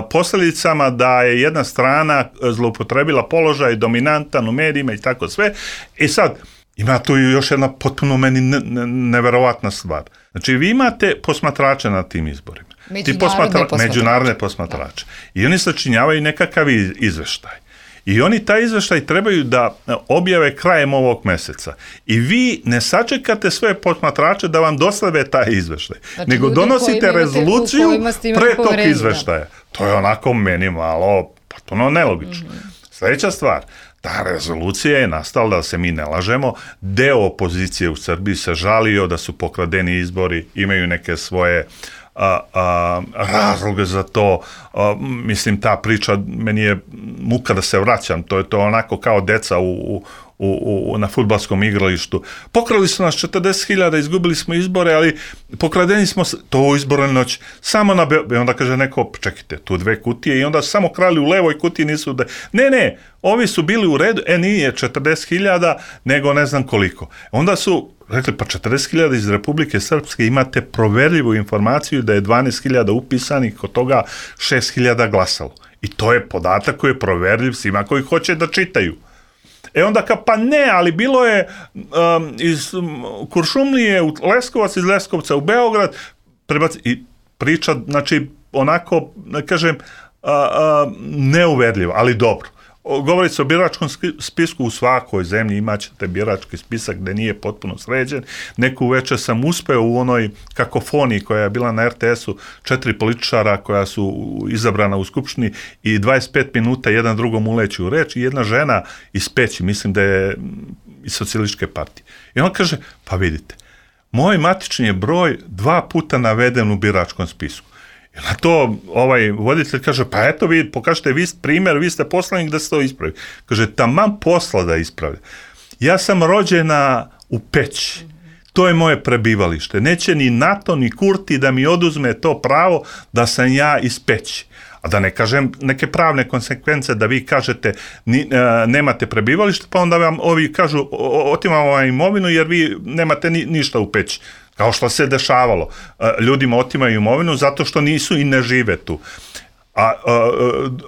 [SPEAKER 4] posljedicama da je jedna strana zloupotrebila položaj dominantan u medijima i tako sve. I sad, ima tu još jedna potpuno meni ne, ne, neverovatna stvar. Znači, vi imate posmatrače na tim izborima.
[SPEAKER 2] Međunarodne
[SPEAKER 4] posmatra,
[SPEAKER 2] posmatrače.
[SPEAKER 4] Međunarodne posmatrače. Da. I oni sačinjavaju nekakav izveštaj. I oni taj izveštaj trebaju da objave krajem ovog meseca. I vi ne sačekate sve posmatrače da vam dostave taj izveštaj, znači, nego donosite rezoluciju pre tog izveštaja. To je onako meni malo potpuno nelogično. Mm-hmm. Sljedeća stvar, ta rezolucija je nastala, da se mi ne lažemo, deo opozicije u Srbiji se žalio da su pokradeni izbori, imaju neke svoje A, a, razloge za to, a, mislim ta priča meni je muka da se vraćam, to je to onako kao deca u, u, u, u, na fudbalskom igralištu. Pokrali su nas četrdeset hiljada, izgubili smo izbore, ali pokradeni smo to u izbornoj noći. Samo na Be- onda kaže neko, čekajte, tu dve kutije i onda samo krali u levoj kutiji, nisu da... Ne, ne, ovi su bili u redu, e nije četrdeset hiljada, nego ne znam koliko. Onda su rekli, pa četrdeset hiljada iz Republike Srpske, imate proverljivu informaciju da je dvanaest hiljada upisanih, kod toga šest hiljada glasalo. I to je podatak koji je proverljiv svima koji hoće da čitaju. E onda ka, pa ne, ali bilo je um, iz um, Kuršumlije u Leskovac, iz Leskovca u Beograd, prebaci, i priča, znači, onako, da kažem, uh, uh, neuverljivo, ali dobro. Govori se o biračkom spisku, u svakoj zemlji imat ćete birački spisak gde nije potpuno sređen. Neku večer sam uspeo u onoj kakofoniji koja je bila na er te esu, četiri političara koja su izabrana u Skupštini i dvadeset pet minuta jedan drugom uleći u reč i jedna žena iz Peći, mislim da je iz Socijalističke partije. I on kaže, pa vidite, moj matični je broj dva puta naveden u biračkom spisku. I na to ovaj voditelj kaže, pa eto vi pokažete vi primjer, vi ste poslanik da se to ispravi. Kaže, taman posla da ispravi. Ja sam rođena u Peći. To je moje prebivalište. Neće ni NATO ni Kurti da mi oduzme to pravo da sam ja iz Peći. A da ne kažem neke pravne konsekvence da vi kažete ni, e, nemate prebivalište, pa onda vam ovi kažu otimamo vam imovinu jer vi nemate ni, ništa u Peći. Kao što se dešavalo. Ljudima otimaju imovinu zato što nisu i ne žive tu. A, a,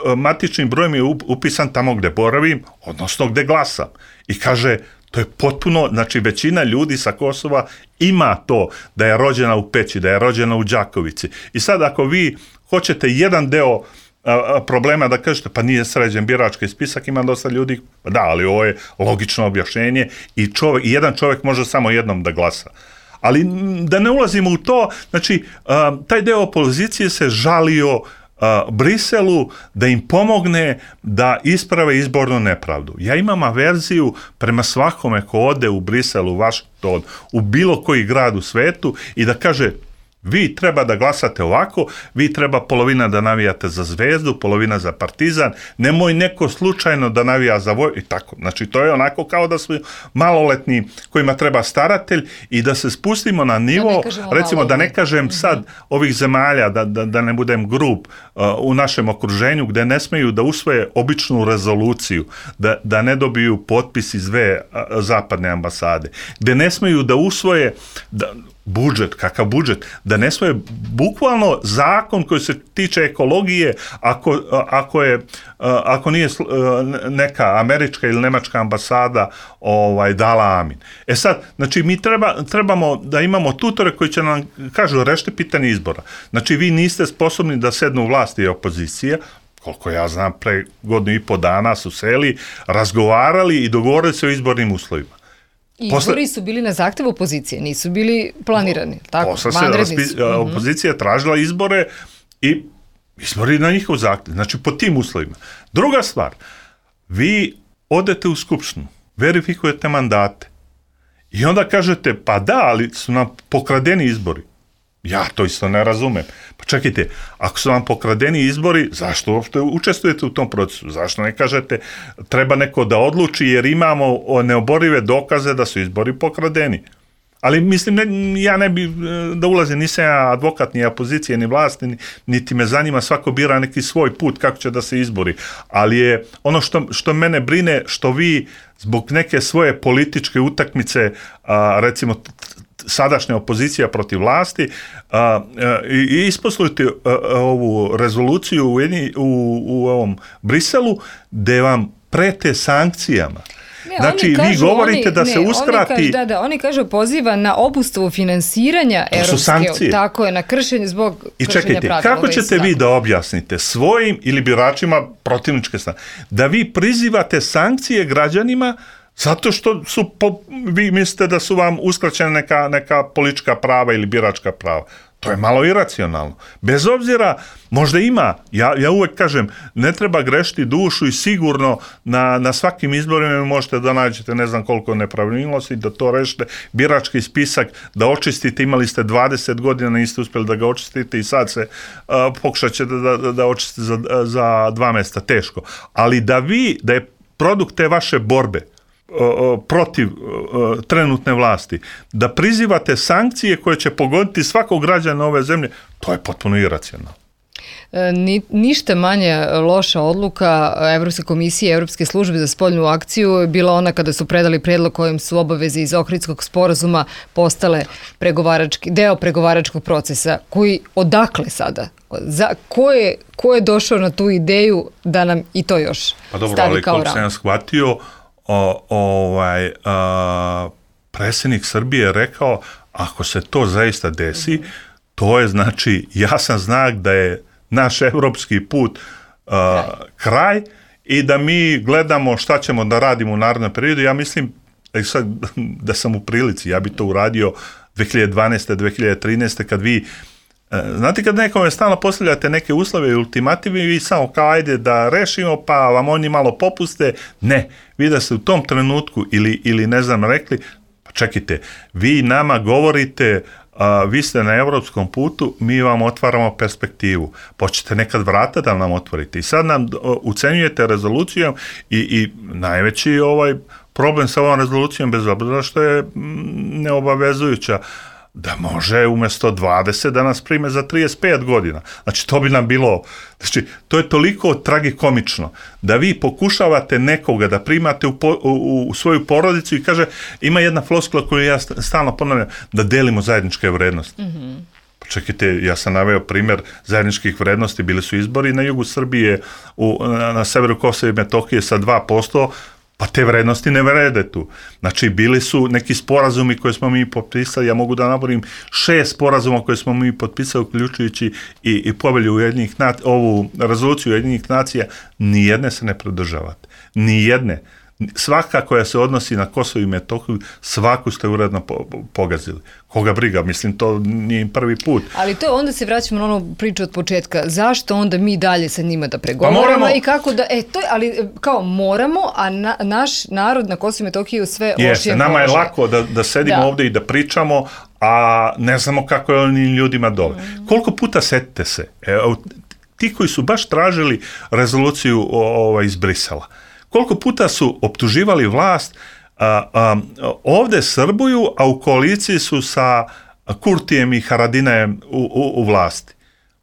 [SPEAKER 4] a matični broj mi je upisan tamo gde boravim, odnosno gde glasam. I kaže, to je potpuno, znači većina ljudi sa Kosova ima to da je rođena u Peći, da je rođena u Đakovici. I sad ako vi hoćete jedan deo a, problema da kažete, pa nije sređen birački spisak, ima dosta ljudi, da, ali ovo je logično objašnjenje i čovjek, jedan čovjek može samo jednom da glasa. Ali da ne ulazimo u to, znači, taj deo opozicije se žalio Briselu da im pomogne da isprave izbornu nepravdu. Ja imam averziju prema svakome ko ode u Brisel, u Washington, u bilo koji grad u svetu i da kaže, vi treba da glasate ovako, vi treba polovina da navijate za Zvezdu, polovina za Partizan, nemoj neko slučajno da navija za Voj, i tako. Znači, to je onako kao da su maloletni kojima treba staratelj i da se spustimo na nivo, da recimo da ne kažem sad ovih zemalja, da, da, da ne budem grub, uh, u našem okruženju gde ne smeju da usvoje običnu rezoluciju, da, da ne dobiju potpis iz dve uh, zapadne ambasade, gde ne smeju da usvoje da, budžet, kakav budžet, da ne svoje bukvalno zakon koji se tiče ekologije ako, ako, je, ako nije neka američka ili nemačka ambasada ovaj, dala amin. E sad, znači mi treba, trebamo da imamo tutore koji će nam kažu rešite pitanje izbora. Znači vi niste sposobni da sednu u vlasti i opozicija, koliko ja znam, pre godinu i po dana su seli, razgovarali i dogovorili se o izbornim uslovima.
[SPEAKER 2] Izbori posle, su bili na zahtev opozicije, nisu bili planirani. Tako,
[SPEAKER 4] posle se raspi, opozicija je tražila izbore i izbori na njihov zahtev. Znači, po tim uslovima. Druga stvar, vi odete u Skupštinu, verifikujete mandate i onda kažete, pa da, ali su nam pokradeni izbori. Ja to isto ne razumem. Pa čekajte, ako su vam pokradeni izbori, zašto uopšte učestvujete u tom procesu? Zašto ne kažete treba neko da odluči jer imamo neoborive dokaze da su izbori pokradeni? Ali mislim, ne, ja ne bi da ulazim, nisam ja advokat ni opozicije, ni vlasti, niti me zanima, svako bira neki svoj put kako će da se izbori. Ali je ono što, što mene brine, što vi zbog neke svoje političke utakmice, a, recimo sadašnja opozicija protiv vlasti, a, a, i isposlujete ovu rezoluciju u, jedni, u, u ovom Briselu gde vam prete sankcijama.
[SPEAKER 2] Ne,
[SPEAKER 4] znači,
[SPEAKER 2] kažu,
[SPEAKER 4] vi govorite
[SPEAKER 2] oni,
[SPEAKER 4] da
[SPEAKER 2] ne,
[SPEAKER 4] se uskrati...
[SPEAKER 2] Oni kažu, da, da, oni kažu poziva na obustavu finansiranja Europske, tako je, na kršenje zbog
[SPEAKER 4] I
[SPEAKER 2] kršenja
[SPEAKER 4] čekajte,
[SPEAKER 2] pravila.
[SPEAKER 4] kako ćete vi da objasnite svojim ili biračima protivničke strane, da vi prizivate sankcije građanima zato što su, po, vi mislite da su vam uskraćene neka, neka politička prava ili biračka prava. To je malo iracionalno. Bez obzira, možda ima, ja, ja uvek kažem, ne treba grešiti dušu i sigurno na, na svakim izborima možete da nađete ne znam koliko nepravilnosti, da to rešite, birački spisak, da očistite, imali ste dvadeset godina, niste uspjeli da ga očistite i sad se uh, pokušat ćete da, da, da očistite za, za dva mesta, teško. Ali da vi, da je produkt te vaše borbe, protiv trenutne vlasti, da prizivate sankcije koje će pogoditi svakog građana ove zemlje, to je potpuno iracionalno.
[SPEAKER 2] Ni, ništa manje loša odluka Evropske komisije i Evropske službe za spoljnu akciju je bila ona kada su predali predlog kojim su obaveze iz Ohridskog sporazuma postale pregovarački, deo pregovaračkog procesa, koji odakle sada? Za, ko, je, ko je došao na tu ideju da nam i to još
[SPEAKER 4] pa dobro,
[SPEAKER 2] stavi
[SPEAKER 4] ali
[SPEAKER 2] kao
[SPEAKER 4] kako sam ja shvatio, o, ovaj, a, predsjednik Srbije je rekao, ako se to zaista desi, mm-hmm. to je znači jasan znak da je naš evropski put uh, kraj i da mi gledamo šta ćemo da radimo u narednom periodu. Ja mislim sad, da sam u prilici, ja bi to uradio dve hiljade dvanaeste. dve hiljade trinaeste. kad vi, uh, znate kad nekome stalno postavljate neke uslove i ultimative i vi samo kao ajde da rešimo pa vam oni malo popuste, ne, vi da ste u tom trenutku ili, ili ne znam rekli, pa čekajte, vi nama govorite a, vi ste na evropskom putu, mi vam otvaramo perspektivu. Počete nekad vrata da nam otvorite. I sad nam ucenjujete rezolucijom i, i najveći ovaj problem sa ovom rezolucijom, bez obzira što je neobavezujuća, da može umjesto dvadeset da nas prime za trideset pet godina. Znači, to bi nam bilo... Znači, to je toliko tragikomično da vi pokušavate nekoga da primate u, po, u, u svoju porodicu i kaže, ima jedna floskula koju ja stalno ponavljam, da delimo zajedničke vrednosti. Mm-hmm. Čekajte, ja sam naveo primjer zajedničkih vrednosti, bili su izbori na jugu Srbije, u, na, na severu Kosova i Metohije sa dva posto, pa te vrednosti ne vrede tu. Znači, bili su neki sporazumi koje smo mi potpisali, ja mogu da naborim šest sporazuma koje smo mi potpisali, uključujući i, i povelju Ujedinjenih nacija, ovu rezoluciju Ujedinjenih nacija, nijedne se ne pridržavate. Nijedne. Svaka koja se odnosi na Kosovo i Metohiju, svaku ste uredno po, pogazili. Koga briga, mislim, to nije prvi put.
[SPEAKER 2] Ali to onda se vraćamo na onu priču od početka. Zašto onda mi dalje sa njima da pregovaramo? Pa moramo, i kako da, e, to je, ali kao moramo, a na, naš narod na Kosovo i Metohiju sve lošije
[SPEAKER 4] Jeste, nama je lako da, da sedimo da. ovdje i da pričamo, a ne znamo kako je onim ljudima dole. Mm. Koliko puta setite se, e, ti koji su baš tražili rezoluciju ovaj, iz Brisela, koliko puta su optuživali vlast, a, a, ovdje Srbuju, a u koaliciji su sa Kurtijem i Haradinajem u, u, u vlasti.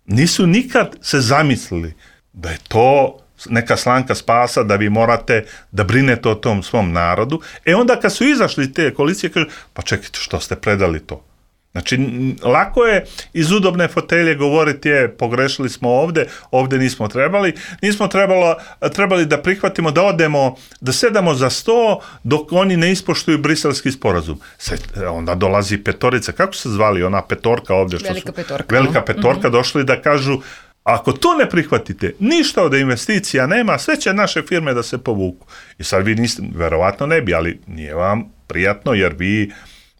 [SPEAKER 4] Nisu nikad se zamislili da je to neka slanka spasa, da vi morate da brinete o tom svom narodu. E onda kad su izašli te koalicije, kažu, pa čekajte, što ste predali to? Znači, lako je iz udobne fotelje govoriti je, pogrešili smo ovdje, ovdje nismo trebali, nismo trebalo, trebali da prihvatimo, da odemo, da sedamo za sto dok oni ne ispoštuju briselski sporazum. Se, onda dolazi petorica, kako se zvali ona petorka ovdje? Što
[SPEAKER 2] velika
[SPEAKER 4] su,
[SPEAKER 2] petorka.
[SPEAKER 4] Velika petorka, mm-hmm. došli da kažu, ako to ne prihvatite, ništa od investicija nema, sve će naše firme da se povuku. I sad vi niste, verovatno ne bi, ali nije vam prijatno jer vi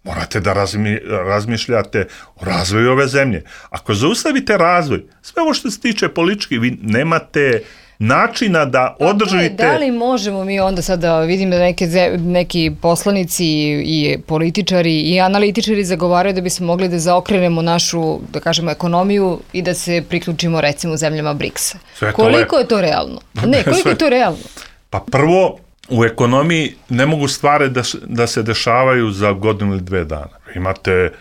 [SPEAKER 4] morate da razmi, razmišljate o razvoju ove zemlje. Ako zaustavite razvoj, sve ovo što se tiče politički, vi nemate načina da održite...
[SPEAKER 2] Da li možemo mi onda sad da vidimo da neke, neki poslanici i političari i analitičari zagovaraju da bismo mogli da zaokrenemo našu, da kažemo, ekonomiju i da se priključimo recimo zemljama briksa. Koliko je to realno? Ne, koliko je to realno?
[SPEAKER 4] Pa prvo, u ekonomiji ne mogu stvari da, da se dešavaju za godinu ili dve dana. Imate,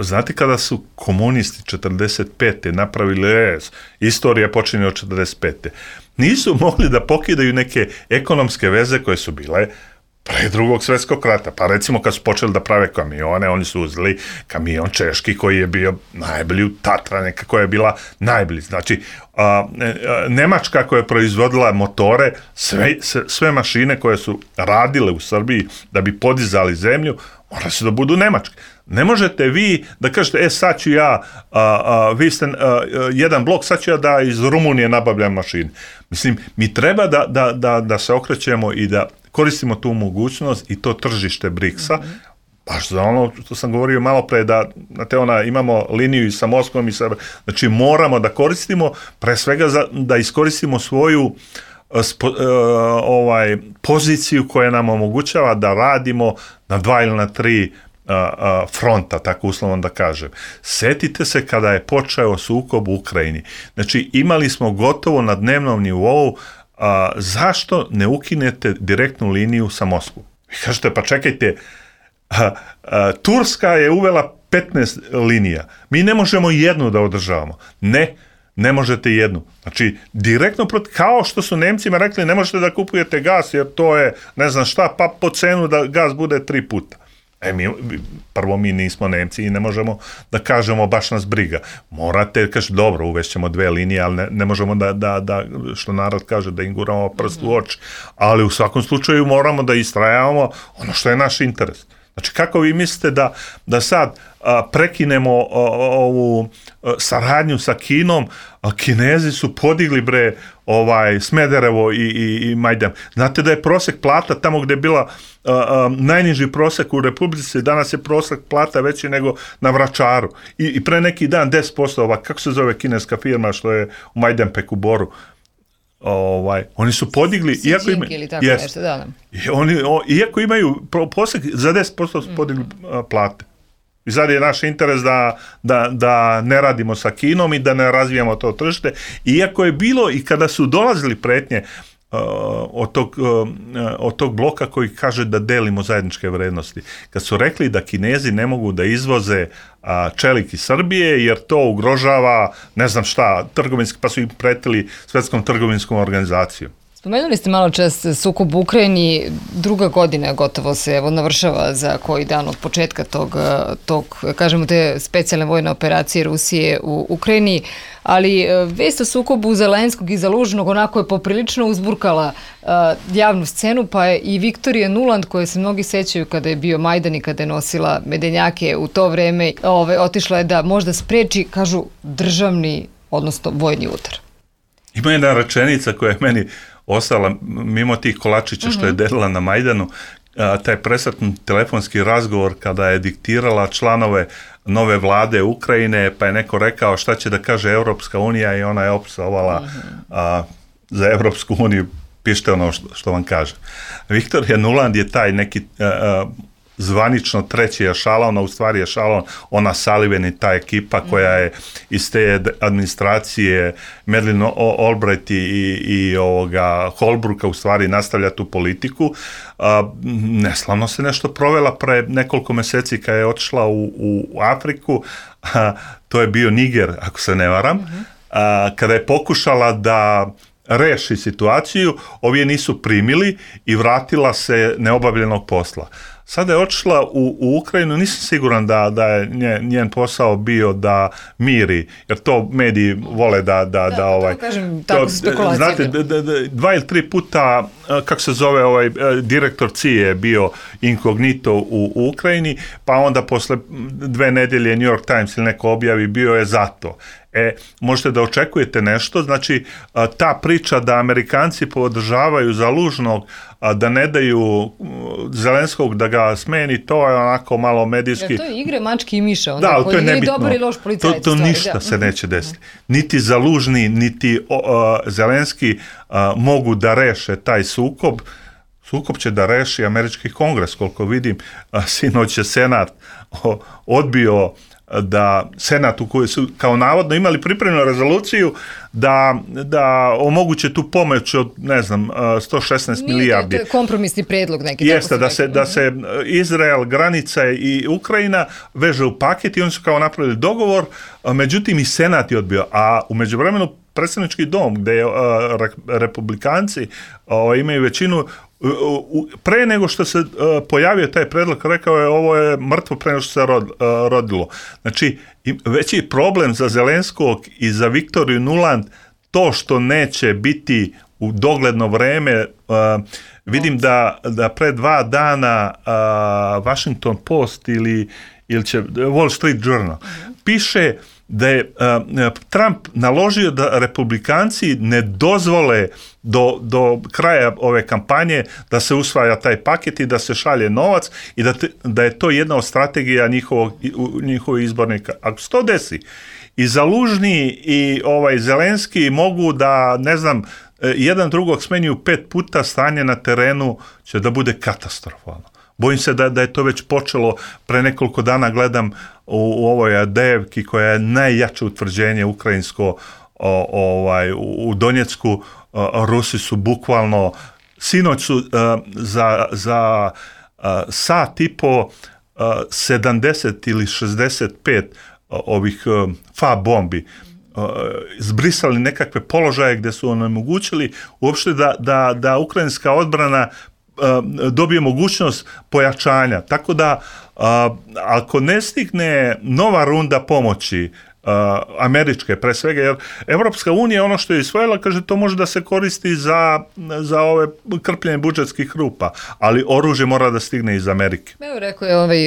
[SPEAKER 4] znate kada su komunisti četrdeset pete napravili es, istorija počinje od četrdeset pete Nisu mogli da pokidaju neke ekonomske veze koje su bile pre drugog svjetskog rata. Pa recimo kad su počeli da prave kamione, oni su uzeli kamion češki koji je bio najbolji u Tatra, neka koja je bila najbolji. Znači, a, a, Nemačka koja je proizvodila motore, sve, sve mašine koje su radile u Srbiji da bi podizali zemlju, morali su da budu nemačke. Ne možete vi da kažete, e sad ću ja, a, a, vi ste a, jedan blok, sad ću ja da iz Rumunije nabavljam mašine. Mislim, mi treba da, da, da, da se okrećemo i da koristimo tu mogućnost i to tržište briksa, mm-hmm. baš za ono što sam govorio malo pre, da znate, ona, imamo liniju i sa Moskvom i sa... Znači, moramo da koristimo, pre svega za, da iskoristimo svoju spo, uh, ovaj, poziciju koja nam omogućava da radimo na dva ili na tri uh, uh, fronta, tako uslovno da kažem. Setite se kada je počeo sukob u Ukrajini. Znači, imali smo gotovo na dnevnom nivou, a zašto ne ukinete direktnu liniju sa Moskvom? Vi kažete, pa čekajte, a, a, Turska je uvela petnaest linija. Mi ne možemo jednu da održavamo. Ne, ne možete jednu. Znači, direktno protiv, kao što su Nemcima rekli, ne možete da kupujete gas, jer to je, ne znam šta, pa po cenu da gas bude tri puta. E, mi, prvo, mi nismo Nemci i ne možemo da kažemo baš nas briga. Morate, kaži, dobro, uvešćemo dve linije, ali ne, ne možemo da, da, da, što narod kaže, da im guramo prst u oči. Ali u svakom slučaju moramo da istrajavamo ono što je naš interes. Znači, kako vi mislite da, da sad a, prekinemo a, ovu a, saradnju sa Kinom, a Kinezi su podigli bre ovaj Smederevo i, i, i Majdan. Znate da je prosek plata tamo gde je bila a, a, najniži prosek u Republici, danas je prosek plata veći nego na Vračaru. I, i pre neki dan deset posto, ova, kako se zove kineska firma što je u Majdanpeku Boru, ovaj, oni su podigli,
[SPEAKER 2] si,
[SPEAKER 4] iako, ima,
[SPEAKER 2] ili tako
[SPEAKER 4] jest,
[SPEAKER 2] nešto, da, da.
[SPEAKER 4] Oni, o, iako imaju prosek, za deset posto su podigli mm. plate. I sad je naš interes da, da, da ne radimo sa Kinom i da ne razvijamo to tržište. Iako je bilo i kada su dolazili pretnje uh, od, tog, uh, od tog bloka koji kaže da delimo zajedničke vrednosti. Kad su rekli da Kinezi ne mogu da izvoze uh, čelik iz Srbije jer to ugrožava, ne znam šta, trgovinski, pa su im pretili Svetskom trgovinskom organizacijom.
[SPEAKER 2] Spomenuli ste malo čas sukob u Ukrajini, druga godina gotovo se evo navršava za koji dan od početka tog, tog kažemo te specijalne vojne operacije Rusije u Ukrajini, ali vest o sukobu Zelenskog i Zalužnog onako je poprilično uzburkala uh, javnu scenu, pa je i Viktorija Nuland, koje se mnogi sećaju kada je bio Majdan i kada je nosila medenjake u to vreme, ove, otišla je da možda spreči, kažu, državni, odnosno vojni udar.
[SPEAKER 4] Ima jedna rečenica koja je meni ostala mimo tih kolačića što je delila na Majdanu, a, taj presretni telefonski razgovor kada je diktirala članove nove vlade Ukrajine, pa je neko rekao šta će da kaže Evropska unija i ona je opsovala a, za Evropsku uniju, pišite ono što, što vam kaže. Viktorija Nuland je taj neki a, a, zvanično treći ešalon, a u stvari ešalon ona Sullivan i ta ekipa koja je iz te administracije Madeleine Albright i, i ovoga Holbrooka u stvari nastavlja tu politiku. A, neslavno se nešto provela pre nekoliko meseci kada je otišla u, u Afriku, a, to je bio Niger, ako se ne varam, a, kada je pokušala da reši situaciju, ovi je nisu primili i vratila se neobavljenog posla. Sada je otišla u, u Ukrajinu, nisam siguran da, da je njen, njen posao bio da miri, jer to mediji vole da... Da, da, da ovaj,
[SPEAKER 2] kažem, tako su spekulacije.
[SPEAKER 4] Znate, d, d, d, dva ili tri puta, kako se zove, ovaj, direktor C I A je bio inkognito u, u Ukrajini, pa onda posle dve nedelje New York Times ili neko objavi, bio je zato. E, možete da očekujete nešto, znači ta priča da Amerikanci podržavaju Zalužnog, da ne daju Zelenskog da ga smeni, to je onako malo medijski.
[SPEAKER 2] Ja, to je igre mački i miša, onda
[SPEAKER 4] da,
[SPEAKER 2] koji je ili dobar i loš policajac.
[SPEAKER 4] To, to
[SPEAKER 2] stvari,
[SPEAKER 4] ništa
[SPEAKER 2] da.
[SPEAKER 4] se neće desiti. Niti Zalužni, niti uh, Zelenski uh, mogu da reše taj sukob. Sukob će da reši američki kongres, koliko vidim, uh, sinoć je Senat uh, odbio da Senat u kojoj su kao navodno imali pripremljenu rezoluciju da, da omoguće tu pomoć od, ne znam, sto šesnaest
[SPEAKER 2] Nije,
[SPEAKER 4] milijardi.
[SPEAKER 2] To je kompromisni predlog neki.
[SPEAKER 4] Jeste, da se, da se Izrael, granica i Ukrajina veže u paket i oni su kao napravili dogovor, međutim i Senat je odbio, a u međuvremenu predstavnički dom gde je, a, republikanci a, imaju većinu, pre nego što se uh, pojavio taj predlog, rekao je ovo je mrtvo pre nego što se rod, uh, rodilo. Znači, veći problem za Zelenskog i za Viktoriju Nuland to što neće biti u dogledno vreme. Uh, vidim da, da pre dva dana uh, Washington Post ili, ili će Wall Street Journal piše da je uh, Trump naložio da republikanci ne dozvole do, do kraja ove kampanje da se usvaja taj paket i da se šalje novac i da, te, da je to jedna od strategija njihovog, njihovih izbornika. Ako se to desi, i Zalužni i ovaj Zelenski mogu da, ne znam, jedan drugog smenjuju pet puta, stanje na terenu će da bude katastrofalno. Bojim se da, da je to već počelo, pre nekoliko dana gledam u, u ovoj Adejevki koja je najjače utvrđenje ukrajinsko o, ovaj, u Donjecku, o, Rusi su bukvalno, sinoć su o, za, za sat i po sedamdeset ili šezdeset pet ovih F A bombi zbrisali nekakve položaje gdje su onemogućili uopšte da, da, da ukrajinska odbrana dobije mogućnost pojačanja. Tako da ako ne stigne nova runda pomoći američke pre svega, jer Evropska unija ono što je isvojila, kaže, to može da se koristi za, za ove krpljenje budžetskih rupa, ali oružje mora da stigne iz Amerike.
[SPEAKER 2] Evo rekao je ovaj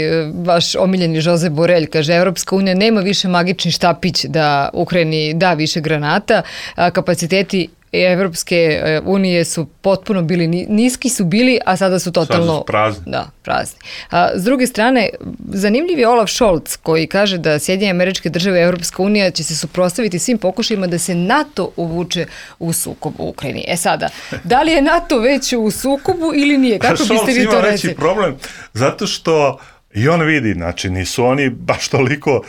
[SPEAKER 2] vaš omiljeni Josep Borrell, kaže, Evropska unija nema više magični štapić da Ukrajini da više granata, a kapaciteti Evropske unije su potpuno bili, niski su bili, a sada su totalno...
[SPEAKER 4] Sada su prazni.
[SPEAKER 2] Da, prazni. A, s druge strane, zanimljiv je Olaf Scholz koji kaže da Sjedinjene Američke Države i Evropska unija će se suprotstaviti svim pokušajima da se NATO uvuče u sukob u Ukrajini. E sada, da li je NATO već u sukobu ili nije? Kako biste vi to
[SPEAKER 4] reći? Ima problem, zato što i on vidi, znači nisu oni baš toliko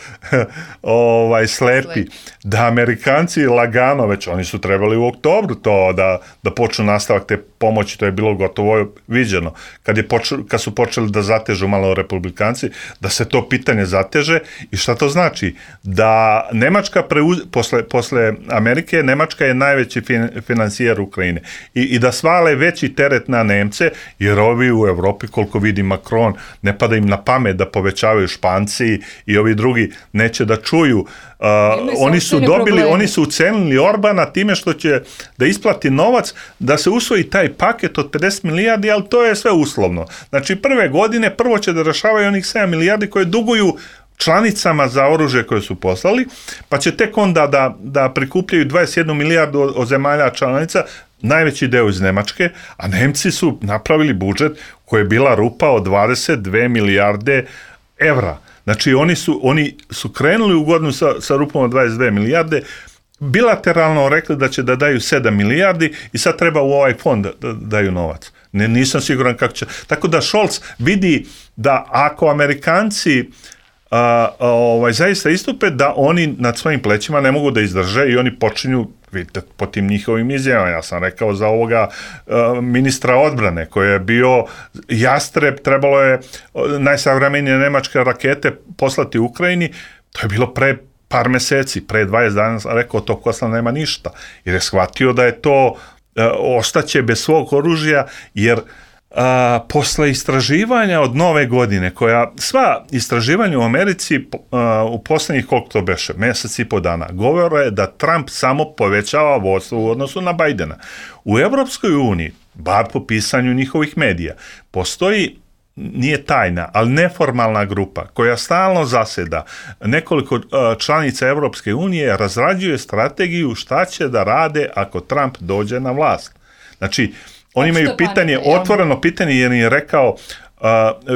[SPEAKER 4] ovaj, slepi, slepi, da Amerikanci lagano, već oni su trebali u oktobru to da, da počnu nastavak te pomoći, to je bilo gotovo viđeno. Kad, je počel, kad su počeli da zatežu malo Republikanci, da se to pitanje zateže i šta to znači? Da Nemačka, preuz, posle, posle Amerike, Nemačka je najveći fin, financijer Ukrajine I, i da svale veći teret na Nemce, jer ovi u Evropi, koliko vidi Macron, ne pada im na pamet da povećavaju Španci i ovi drugi neće da čuju. Uh, oni su dobili, problemi. Oni su ucenili Orbana time što će da isplati novac da se usvoji taj paket od pedeset milijardi, ali to je sve uslovno. Znači prve godine prvo će da rešavaju onih sedam milijardi koje duguju članicama za oružje koje su poslali, pa će tek onda da, da prikupljaju dvadeset jednu milijardu od, od zemalja članica, najveći deo iz Nemačke, a Nemci su napravili budžet koji je bila rupa od dvadeset dve milijarde evra. Znači oni su, oni su krenuli u godinu sa, sa rupom od dvadeset dve milijarde, bilateralno rekli da će da daju sedam milijardi i sad treba u ovaj fond da, da daju novac. Ne, nisam siguran kako će. Tako da Scholz vidi da ako Amerikanci uh, ovaj, zaista istupe, da oni nad svojim plećima ne mogu da izdrže i oni počinju, vidite, po tim njihovim izjavama, ja sam rekao za ovoga uh, ministra odbrane koji je bio jastreb, trebalo je najsavremenije nemačke rakete poslati Ukrajini, to je bilo pre par meseci, pre dvadeset dana sam rekao to posla nema ništa, jer je shvatio da je to uh, ostaće bez svog oružja, jer A, posle istraživanja od nove godine, koja sva istraživanja u Americi a, u posljednjih koliko to beše, mesec i po dana, govore da Trump samo povećava vodstvo u odnosu na Bajdena. U Evropskoj uniji, bar po pisanju njihovih medija, postoji, nije tajna, ali neformalna grupa koja stalno zaseda, nekoliko članica Evropske unije razrađuje strategiju šta će da rade ako Trump dođe na vlast. Znači, oni imaju pitanje, otvoreno pitanje, jer im je rekao uh,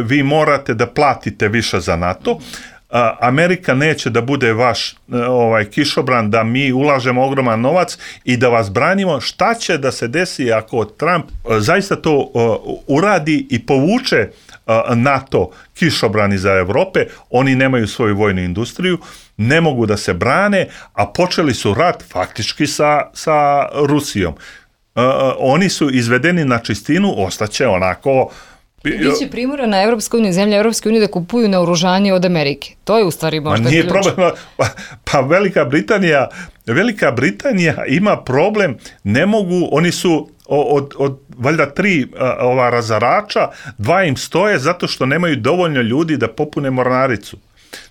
[SPEAKER 4] vi morate da platite više za NATO, uh, Amerika neće da bude vaš uh, ovaj kišobran, da mi ulažemo ogroman novac i da vas branimo. Šta će da se desi ako Trump uh, zaista to uh, uradi i povuče uh, NATO kišobrani za Evrope? Oni nemaju svoju vojnu industriju, ne mogu da se brane, a počeli su rat faktički sa, sa Rusijom. Uh, oni su izvedeni na čistinu, ostaće onako...
[SPEAKER 2] Biće primorana Evropska unija, zemlja Evropske unije da kupuju naoružanje od Amerike. To je u stvari možda
[SPEAKER 4] nije
[SPEAKER 2] ključ.
[SPEAKER 4] Problem, pa, pa Velika Britanija, Velika Britanija ima problem, ne mogu, oni su od, od valjda tri ova razarača, dva im stoje zato što nemaju dovoljno ljudi da popune mornaricu.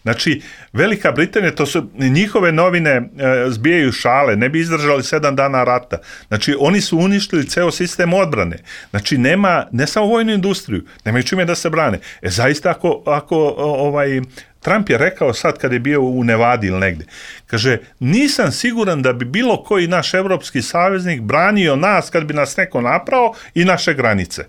[SPEAKER 4] Znači, Velika Britanija, to su njihove novine e, zbijaju šale, ne bi izdržali sedam dana rata. Znači, oni su uništili ceo sistem odbrane. Znači, nema, ne samo vojnu industriju, nemaju čime da se brane. E, zaista, ako, ako ovaj, Trump je rekao sad kad je bio u Nevadi ili negde, kaže, nisam siguran da bi bilo koji naš evropski saveznik branio nas kad bi nas neko naprao i naše granice.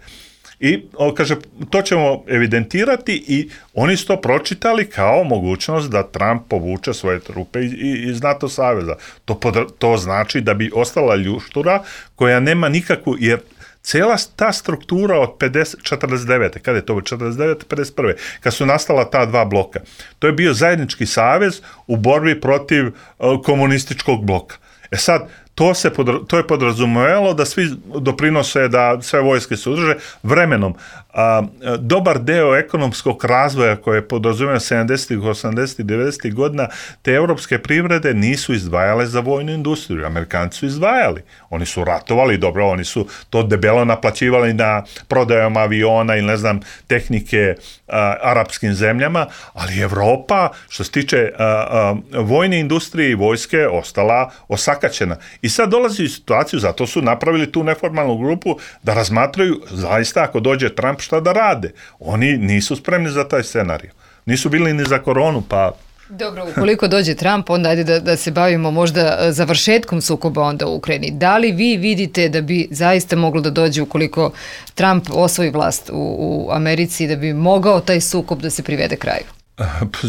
[SPEAKER 4] I on kaže, to ćemo evidentirati i oni su to pročitali kao mogućnost da Trump povuče svoje trupe iz, iz NATO saveza. To, to znači da bi ostala ljuštura koja nema nikakvu, jer cela ta struktura od pedeset, četrdeset devete kada je to, četrdeset devete pedeset prve kad su nastala ta dva bloka, to je bio zajednički savez u borbi protiv uh, komunističkog bloka. E sad, To, se podra, to je podrazumevalo da svi doprinose da sve vojske se udrže vremenom. A, dobar deo ekonomskog razvoja koje je podrazumeo sedamdesetih, osamdesetih, devedesetih godina, te evropske privrede nisu izdvajale za vojnu industriju. Amerikanci su izdvajali. Oni su ratovali, dobro, oni su to debelo naplaćivali na prodajama aviona ili ne znam, tehnike a, arapskim zemljama, ali Evropa, što se tiče a, a, vojne industrije i vojske, ostala osakaćena. I sad dolazi u situaciju, zato su napravili tu neformalnu grupu da razmatraju zaista ako dođe Trump šta da rade. Oni nisu spremni za taj scenarij. Nisu bili ni za koronu, pa...
[SPEAKER 2] Dobro, ukoliko dođe Trump, onda ajde da, da se bavimo možda završetkom sukoba onda u Ukrajini. Da li vi vidite da bi zaista moglo da dođe ukoliko Trump osvoji vlast u, u Americi, da bi mogao taj sukob da se privede kraju?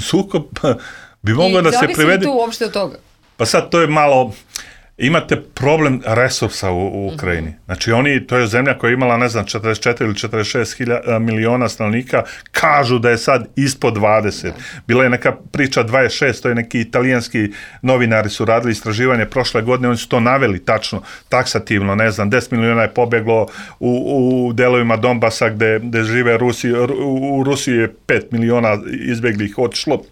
[SPEAKER 4] Sukob bi mogao da se privede...
[SPEAKER 2] I zavisi tu uopšte od toga?
[SPEAKER 4] Pa sad to je malo... Imate problem resursa u, u Ukrajini. Mm-hmm. Znači oni, to je zemlja koja je imala, ne znam, četrdeset četiri ili četrdeset šest miliona stanovnika, kažu da je sad ispod dvadeset. Bila je neka priča dvadeset šest, to je neki italijanski novinari su radili istraživanje prošle godine, oni su to naveli tačno, taksativno, ne znam, deset miliona je pobeglo u, u delovima Donbasa gde, gde žive Rusi, u Rusiji je pet miliona izbeglih otišlo.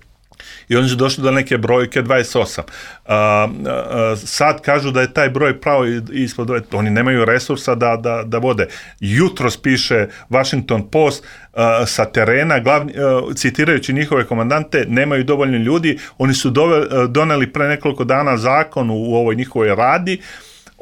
[SPEAKER 4] I oni su došli do neke brojke dvadeset osam. A, a, sad kažu da je taj broj pravo ispod dvadeset. Oni nemaju resursa da, da, da vode. Jutros piše Washington Post a, sa terena, glavni, a, citirajući njihove komandante, nemaju dovoljno ljudi. Oni su dove, doneli pre nekoliko dana zakon u, u ovoj njihovoj radi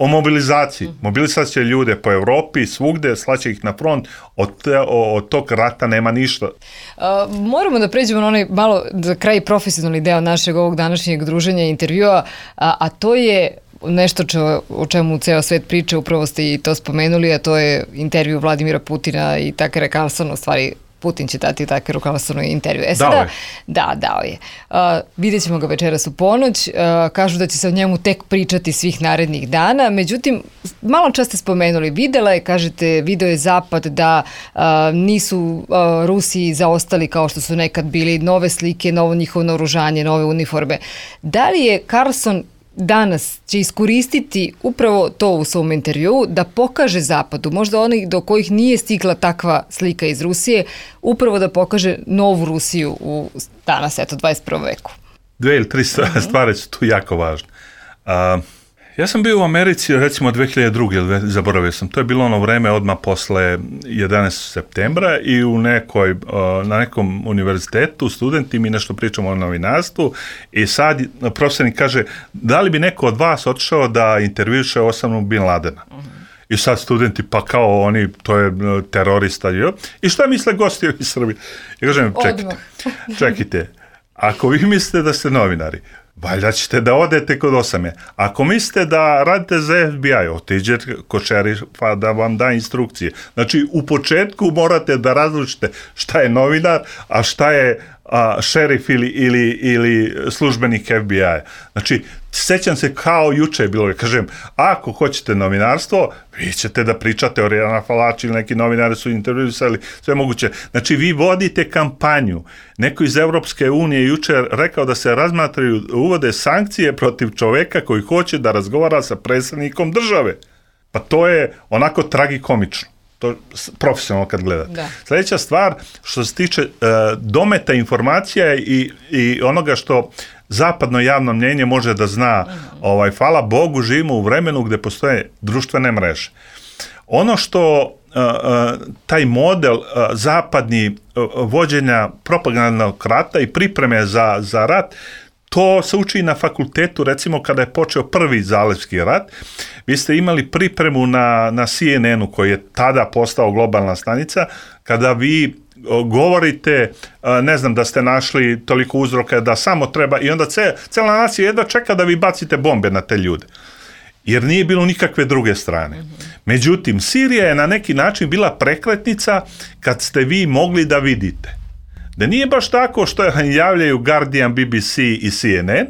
[SPEAKER 4] o mobilizaciji. Mobilisat će ljude po Evropi, svugde, slaće ih na front, od, te, od tog rata nema ništa.
[SPEAKER 2] Uh, moramo da pređemo na onaj malo za kraj profesionalni deo našeg ovog današnjeg druženja i intervjua, a, a to je nešto čo, o čemu ceo svet priča, upravo ste i to spomenuli, a to je intervju Vladimira Putina i Takera Carlsona, u stvari Putin će dati Takeru Carlsonu intervju. E sada,
[SPEAKER 4] dao je.
[SPEAKER 2] Da, dao je. Uh, vidjet ćemo ga večeras u ponoć. Uh, kažu da će se o njemu tek pričati svih narednih dana. Međutim, malo čas ste spomenuli, videla je, kažete, video je Zapad da uh, nisu uh, Rusi zaostali kao što su nekad bili, nove slike, novo njihovo naoružanje, nove uniforme. Da li je Carlson danas će iskoristiti upravo to u svom intervjuu da pokaže Zapadu, možda onih do kojih nije stigla takva slika iz Rusije, upravo da pokaže novu Rusiju u danas, eto, dvadeset prvom veku?
[SPEAKER 4] Dve ili tri stvari su tu jako važne. Uh, ja sam bio u Americi recimo dve hiljade druge, zaboravio sam, to je bilo ono vreme odmah posle jedanaestog septembra i u nekoj, na nekom univerzitetu studenti mi nešto pričamo o novinarstvu i sad profesornik kaže da li bi neko od vas otišao da intervjuše Osamu Bin Ladena. I sad studenti, pa kao oni, to je terorista. Jo? I šta misle gosti iz Srbije? Ja kažem, čekajte, čekajte, ako vi mislite da ste novinari, valjda ćete da odete kod Osame. Ako mislite da radite za F B I, otiđete kod šerifa da vam da instrukcije. Znači, u početku morate da različite šta je novinar, a šta je a, šerif ili, ili, ili službenik F B I. Znači, sećam se kao juče je bilo, kažem, ako hoćete novinarstvo, vi ćete da pričate o Rijana Falači ili neki novinari su intervjuisali, sve moguće. Znači, vi vodite kampanju. Neko iz Evropske unije juče rekao da se razmatraju, uvode sankcije protiv čoveka koji hoće da razgovara sa predsjednikom države. Pa to je onako tragikomično. To profesionalno kad gledate. Da. Sljedeća stvar, što se tiče uh, dometa informacija i, i onoga što zapadno javno mnjenje može da zna, mm-hmm. ovaj, hvala Bogu, živimo u vremenu gdje postoje društvene mreže. Ono što uh, uh, taj model uh, zapadni uh, vođenja propagandnog rata i pripreme za, za rat, to se uči na fakultetu, recimo kada je počeo prvi zalivski rat, vi ste imali pripremu na, na C N N-u koji je tada postao globalna stanica, kada vi govorite, ne znam, da ste našli toliko uzroka da samo treba, i onda ce, cela nacija jedva čeka da vi bacite bombe na te ljude. Jer nije bilo nikakve druge strane. Međutim, Sirija je na neki način bila prekretnica kad ste vi mogli da vidite. Da nije baš tako što javljaju Guardian, B B C i C N N,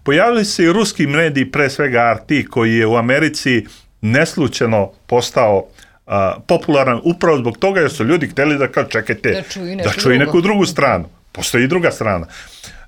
[SPEAKER 4] pojavili se i ruski mediji, pre svega R T, koji je u Americi neslučajno postao a, popularan upravo zbog toga jer su ljudi htjeli da kao čekajte,
[SPEAKER 2] da čuju neku,
[SPEAKER 4] da čuju neku drugu stranu. Postoji i druga strana.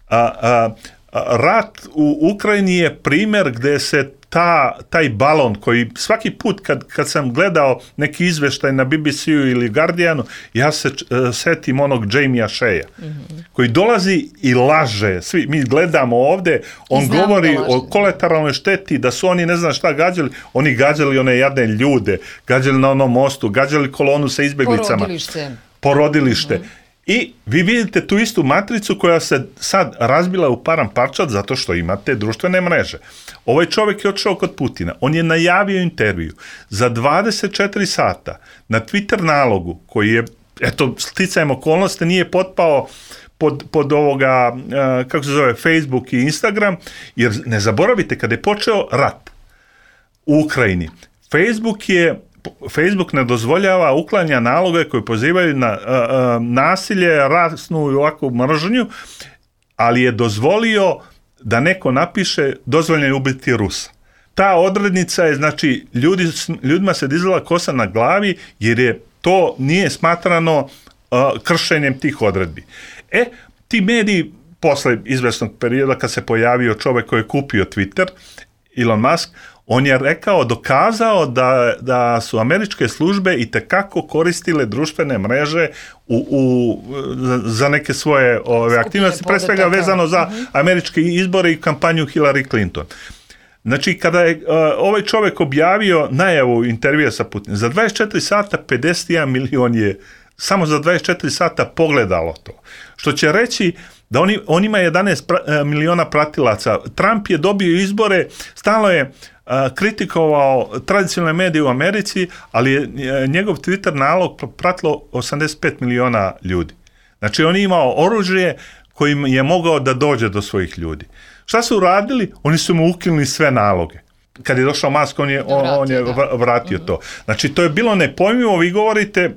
[SPEAKER 4] A, a, a, rat u Ukrajini je primjer gdje se ta, taj balon koji svaki put kad, kad sam gledao neki izveštaj na B B C-u ili Guardianu, ja se uh, setim onog Jamie Shea'a, mm-hmm. koji dolazi i laže. Svi, mi gledamo ovde, on govori o kolateralnoj šteti, da su oni ne znam šta gađali, oni gađali one jadne ljude, gađali na onom mostu, gađali kolonu sa izbeglicama.
[SPEAKER 2] Porodilište.
[SPEAKER 4] Porodilište. Mm-hmm. I vi vidite tu istu matricu koja se sad razbila u param parčad zato što imate društvene mreže. Ovaj čovjek je otišao kod Putina. On je najavio intervju za dvadeset četiri sata na Twitter nalogu koji je, eto, sticajem okolnosti nije potpao pod, pod ovoga, kako se zove, Facebook i Instagram, jer ne zaboravite, kada je počeo rat u Ukrajini, Facebook je Facebook ne dozvoljava uklanja naloge koji pozivaju na uh, uh, nasilje, rasnu i ovakvu mržnju, ali je dozvolio da neko napiše dozvoljeno je ubiti Rusa. Ta odrednica je, znači, ljudi, ljudima se dizala kosa na glavi jer je to nije smatrano uh, kršenjem tih odredbi. E, ti mediji, posle izvesnog perioda kad se pojavio čovjek koji je kupio Twitter, Elon Musk, on je rekao, dokazao da, da su američke službe itekako koristile društvene mreže u, u, za neke svoje ove aktivnosti, pre svega vezano za uh-huh. američke izbore i kampanju Hillary Clinton. Znači, kada je uh, ovaj čovjek objavio najavu intervjua sa Putinom, za dvadeset četiri sata pedeset jedan milion je samo za dvadeset četiri sata pogledalo to. Što će reći da on, on ima jedanaest pra, miliona pratilaca. Trump je dobio izbore, stalno je a, kritikovao tradicionalne medije u Americi, ali je a, njegov Twitter nalog pratilo osamdeset pet miliona ljudi. Znači, on je imao oružje kojim je mogao da dođe do svojih ljudi. Šta su uradili? Oni su mu ukinuli sve naloge. Kad je došao Musk, on je, on, on je vratio to. Znači, to je bilo nepojmljivo. Vi govorite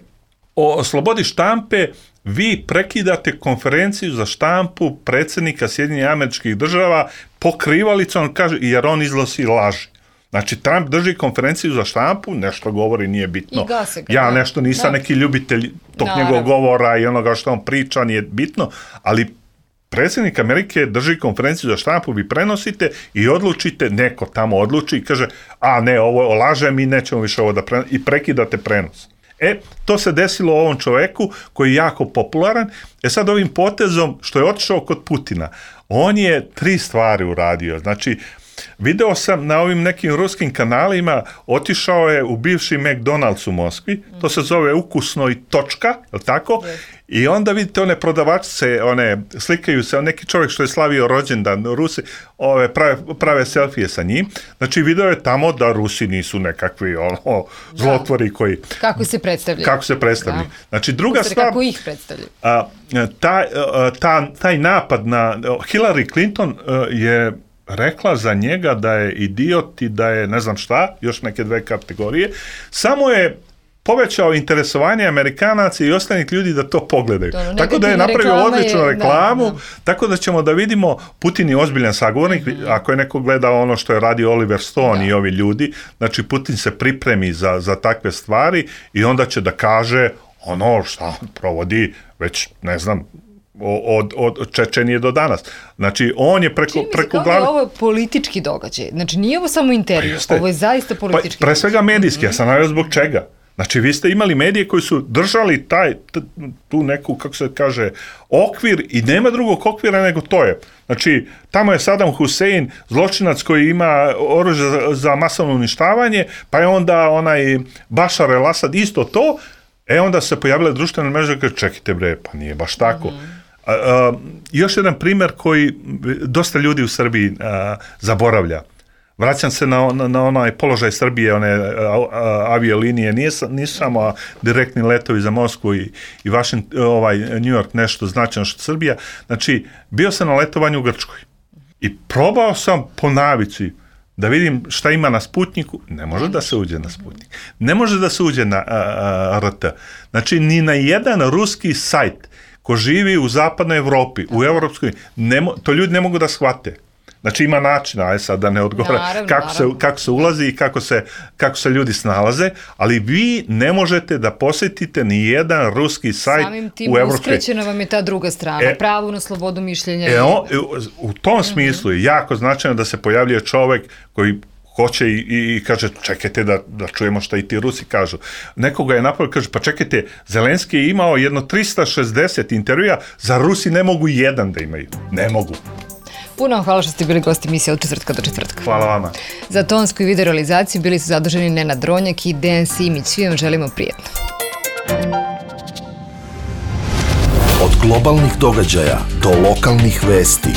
[SPEAKER 4] o slobodi štampe, vi prekidate konferenciju za štampu predsjednika Sjedinjenih Američkih Država pokrivalicom, kaže, jer on iznosi laži. Znači, Trump drži konferenciju za štampu, nešto govori, nije bitno.
[SPEAKER 2] I gase ga,
[SPEAKER 4] ja nešto nisam da. neki ljubitelj tog Naravno. njegovog govora i onoga što on priča, nije bitno, ali predsjednik Amerike drži konferenciju za štampu, vi prenosite i odlučite, neko tamo odluči i kaže, a ne, ovo laže, mi nećemo više ovo da prenosimo, i prekidate prenos. E, to se desilo ovom čoveku koji je jako popularan. E sad ovim potezom što je otišao kod Putina, on je tri stvari uradio. Znači, video sam na ovim nekim ruskim kanalima, otišao je u bivši McDonald's u Moskvi, to se zove Ukusno i točka, je li tako? Yes. I onda vidite one prodavačice, one slikaju se, neki čovjek što je slavio rođendan, Rusi, ove prave, prave selfije sa njim. Znači, video je tamo da Rusi nisu nekakvi ono, zlotvori koji...
[SPEAKER 2] Kako se predstavljaju.
[SPEAKER 4] Kako se predstavljaju. Da. Znači, druga
[SPEAKER 2] kako
[SPEAKER 4] stvar...
[SPEAKER 2] Kako ih predstavljaju.
[SPEAKER 4] A, taj, a, ta, taj napad na Hillary Clinton a, je rekla za njega da je idiot i da je ne znam šta, još neke dve kategorije, samo je povećao interesovanje Amerikanaca i ostalih ljudi da to pogledaju. To, tako da je napravio odličnu je, reklamu, da, da. Tako da ćemo da vidimo, Putin je ozbiljan sagovornik, mm-hmm. ako je neko gledao ono što je radio Oliver Stone da. i ovi ljudi, znači Putin se pripremi za, za takve stvari i onda će da kaže ono šta provodi već, ne znam, od, od Čečenije do danas. Znači, on je preko, preko glave...
[SPEAKER 2] Ovo je politički događaj. Znači, nije ovo samo intervju, pa ovo je zaista politički
[SPEAKER 4] pa, pre svega medijski, mm-hmm. ja sam navio zbog čega. Znači, vi ste imali medije koji su držali taj, t, tu neku, kako se kaže, okvir i nema drugog okvira nego to je. Znači, tamo je Saddam Hussein, zločinac koji ima oružje za, za masovno uništavanje, pa je onda onaj Bashar el-Assad isto to, e onda se pojavile društvene mreže koje čekajte bre, pa nije baš tako. Mm-hmm. A, a, još jedan primjer koji dosta ljudi u Srbiji a, zaboravlja. Vraćam se na, na, na onaj položaj Srbije, one a, a, aviolinije, nije, nisu samo direktni letovi za Moskvu i, i Washington, ovaj, New York nešto značajno što Srbija. Znači, bio sam na letovanju u Grčkoj i probao sam po navici da vidim šta ima na Sputniku, ne može da se uđe na Sputnik. Ne može da se uđe na a, a, R T. Znači, ni na jedan ruski sajt ko živi u zapadnoj Evropi, u Evropskoj, ne, to ljudi ne mogu da shvate. Znači, ima načina, aj sad da ne odgovara naravno, kako, naravno. Se, kako se ulazi i kako se, kako se ljudi snalaze, ali vi ne možete da posjetite ni jedan ruski sajt
[SPEAKER 2] samim tim
[SPEAKER 4] u Evropskoj.
[SPEAKER 2] Uskrećena vam je ta druga strana, e, pravo na slobodu mišljenja.
[SPEAKER 4] E, on, u tom smislu je jako značajno da se pojavljuje čovjek koji hoće i, i, i kaže čekajte da, da čujemo šta i ti Rusi kažu. Nekoga je napravio, kaže pa čekajte, Zelenski je imao jedno trista šezdeset intervjua, za Rusi ne mogu jedan da imaju. Ne mogu.
[SPEAKER 2] Puno vam hvala što ste bili gosti emisije od četvrtka do četvrtka.
[SPEAKER 4] Hvala vama.
[SPEAKER 2] Za tonsku i video realizaciju bili su zaduženi Nenad Dronjak i Dejan Simić. Svi vam želimo prijetno.
[SPEAKER 1] Od globalnih događaja do lokalnih vesti.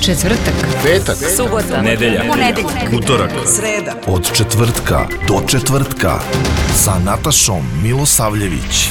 [SPEAKER 2] Četvrtak,
[SPEAKER 1] Petak,
[SPEAKER 3] subota,
[SPEAKER 5] nedelja,
[SPEAKER 3] ponedeljak,
[SPEAKER 5] utorak,
[SPEAKER 3] sreda.
[SPEAKER 1] od četvrtka do četvrtka sa Natašom Milosavljević.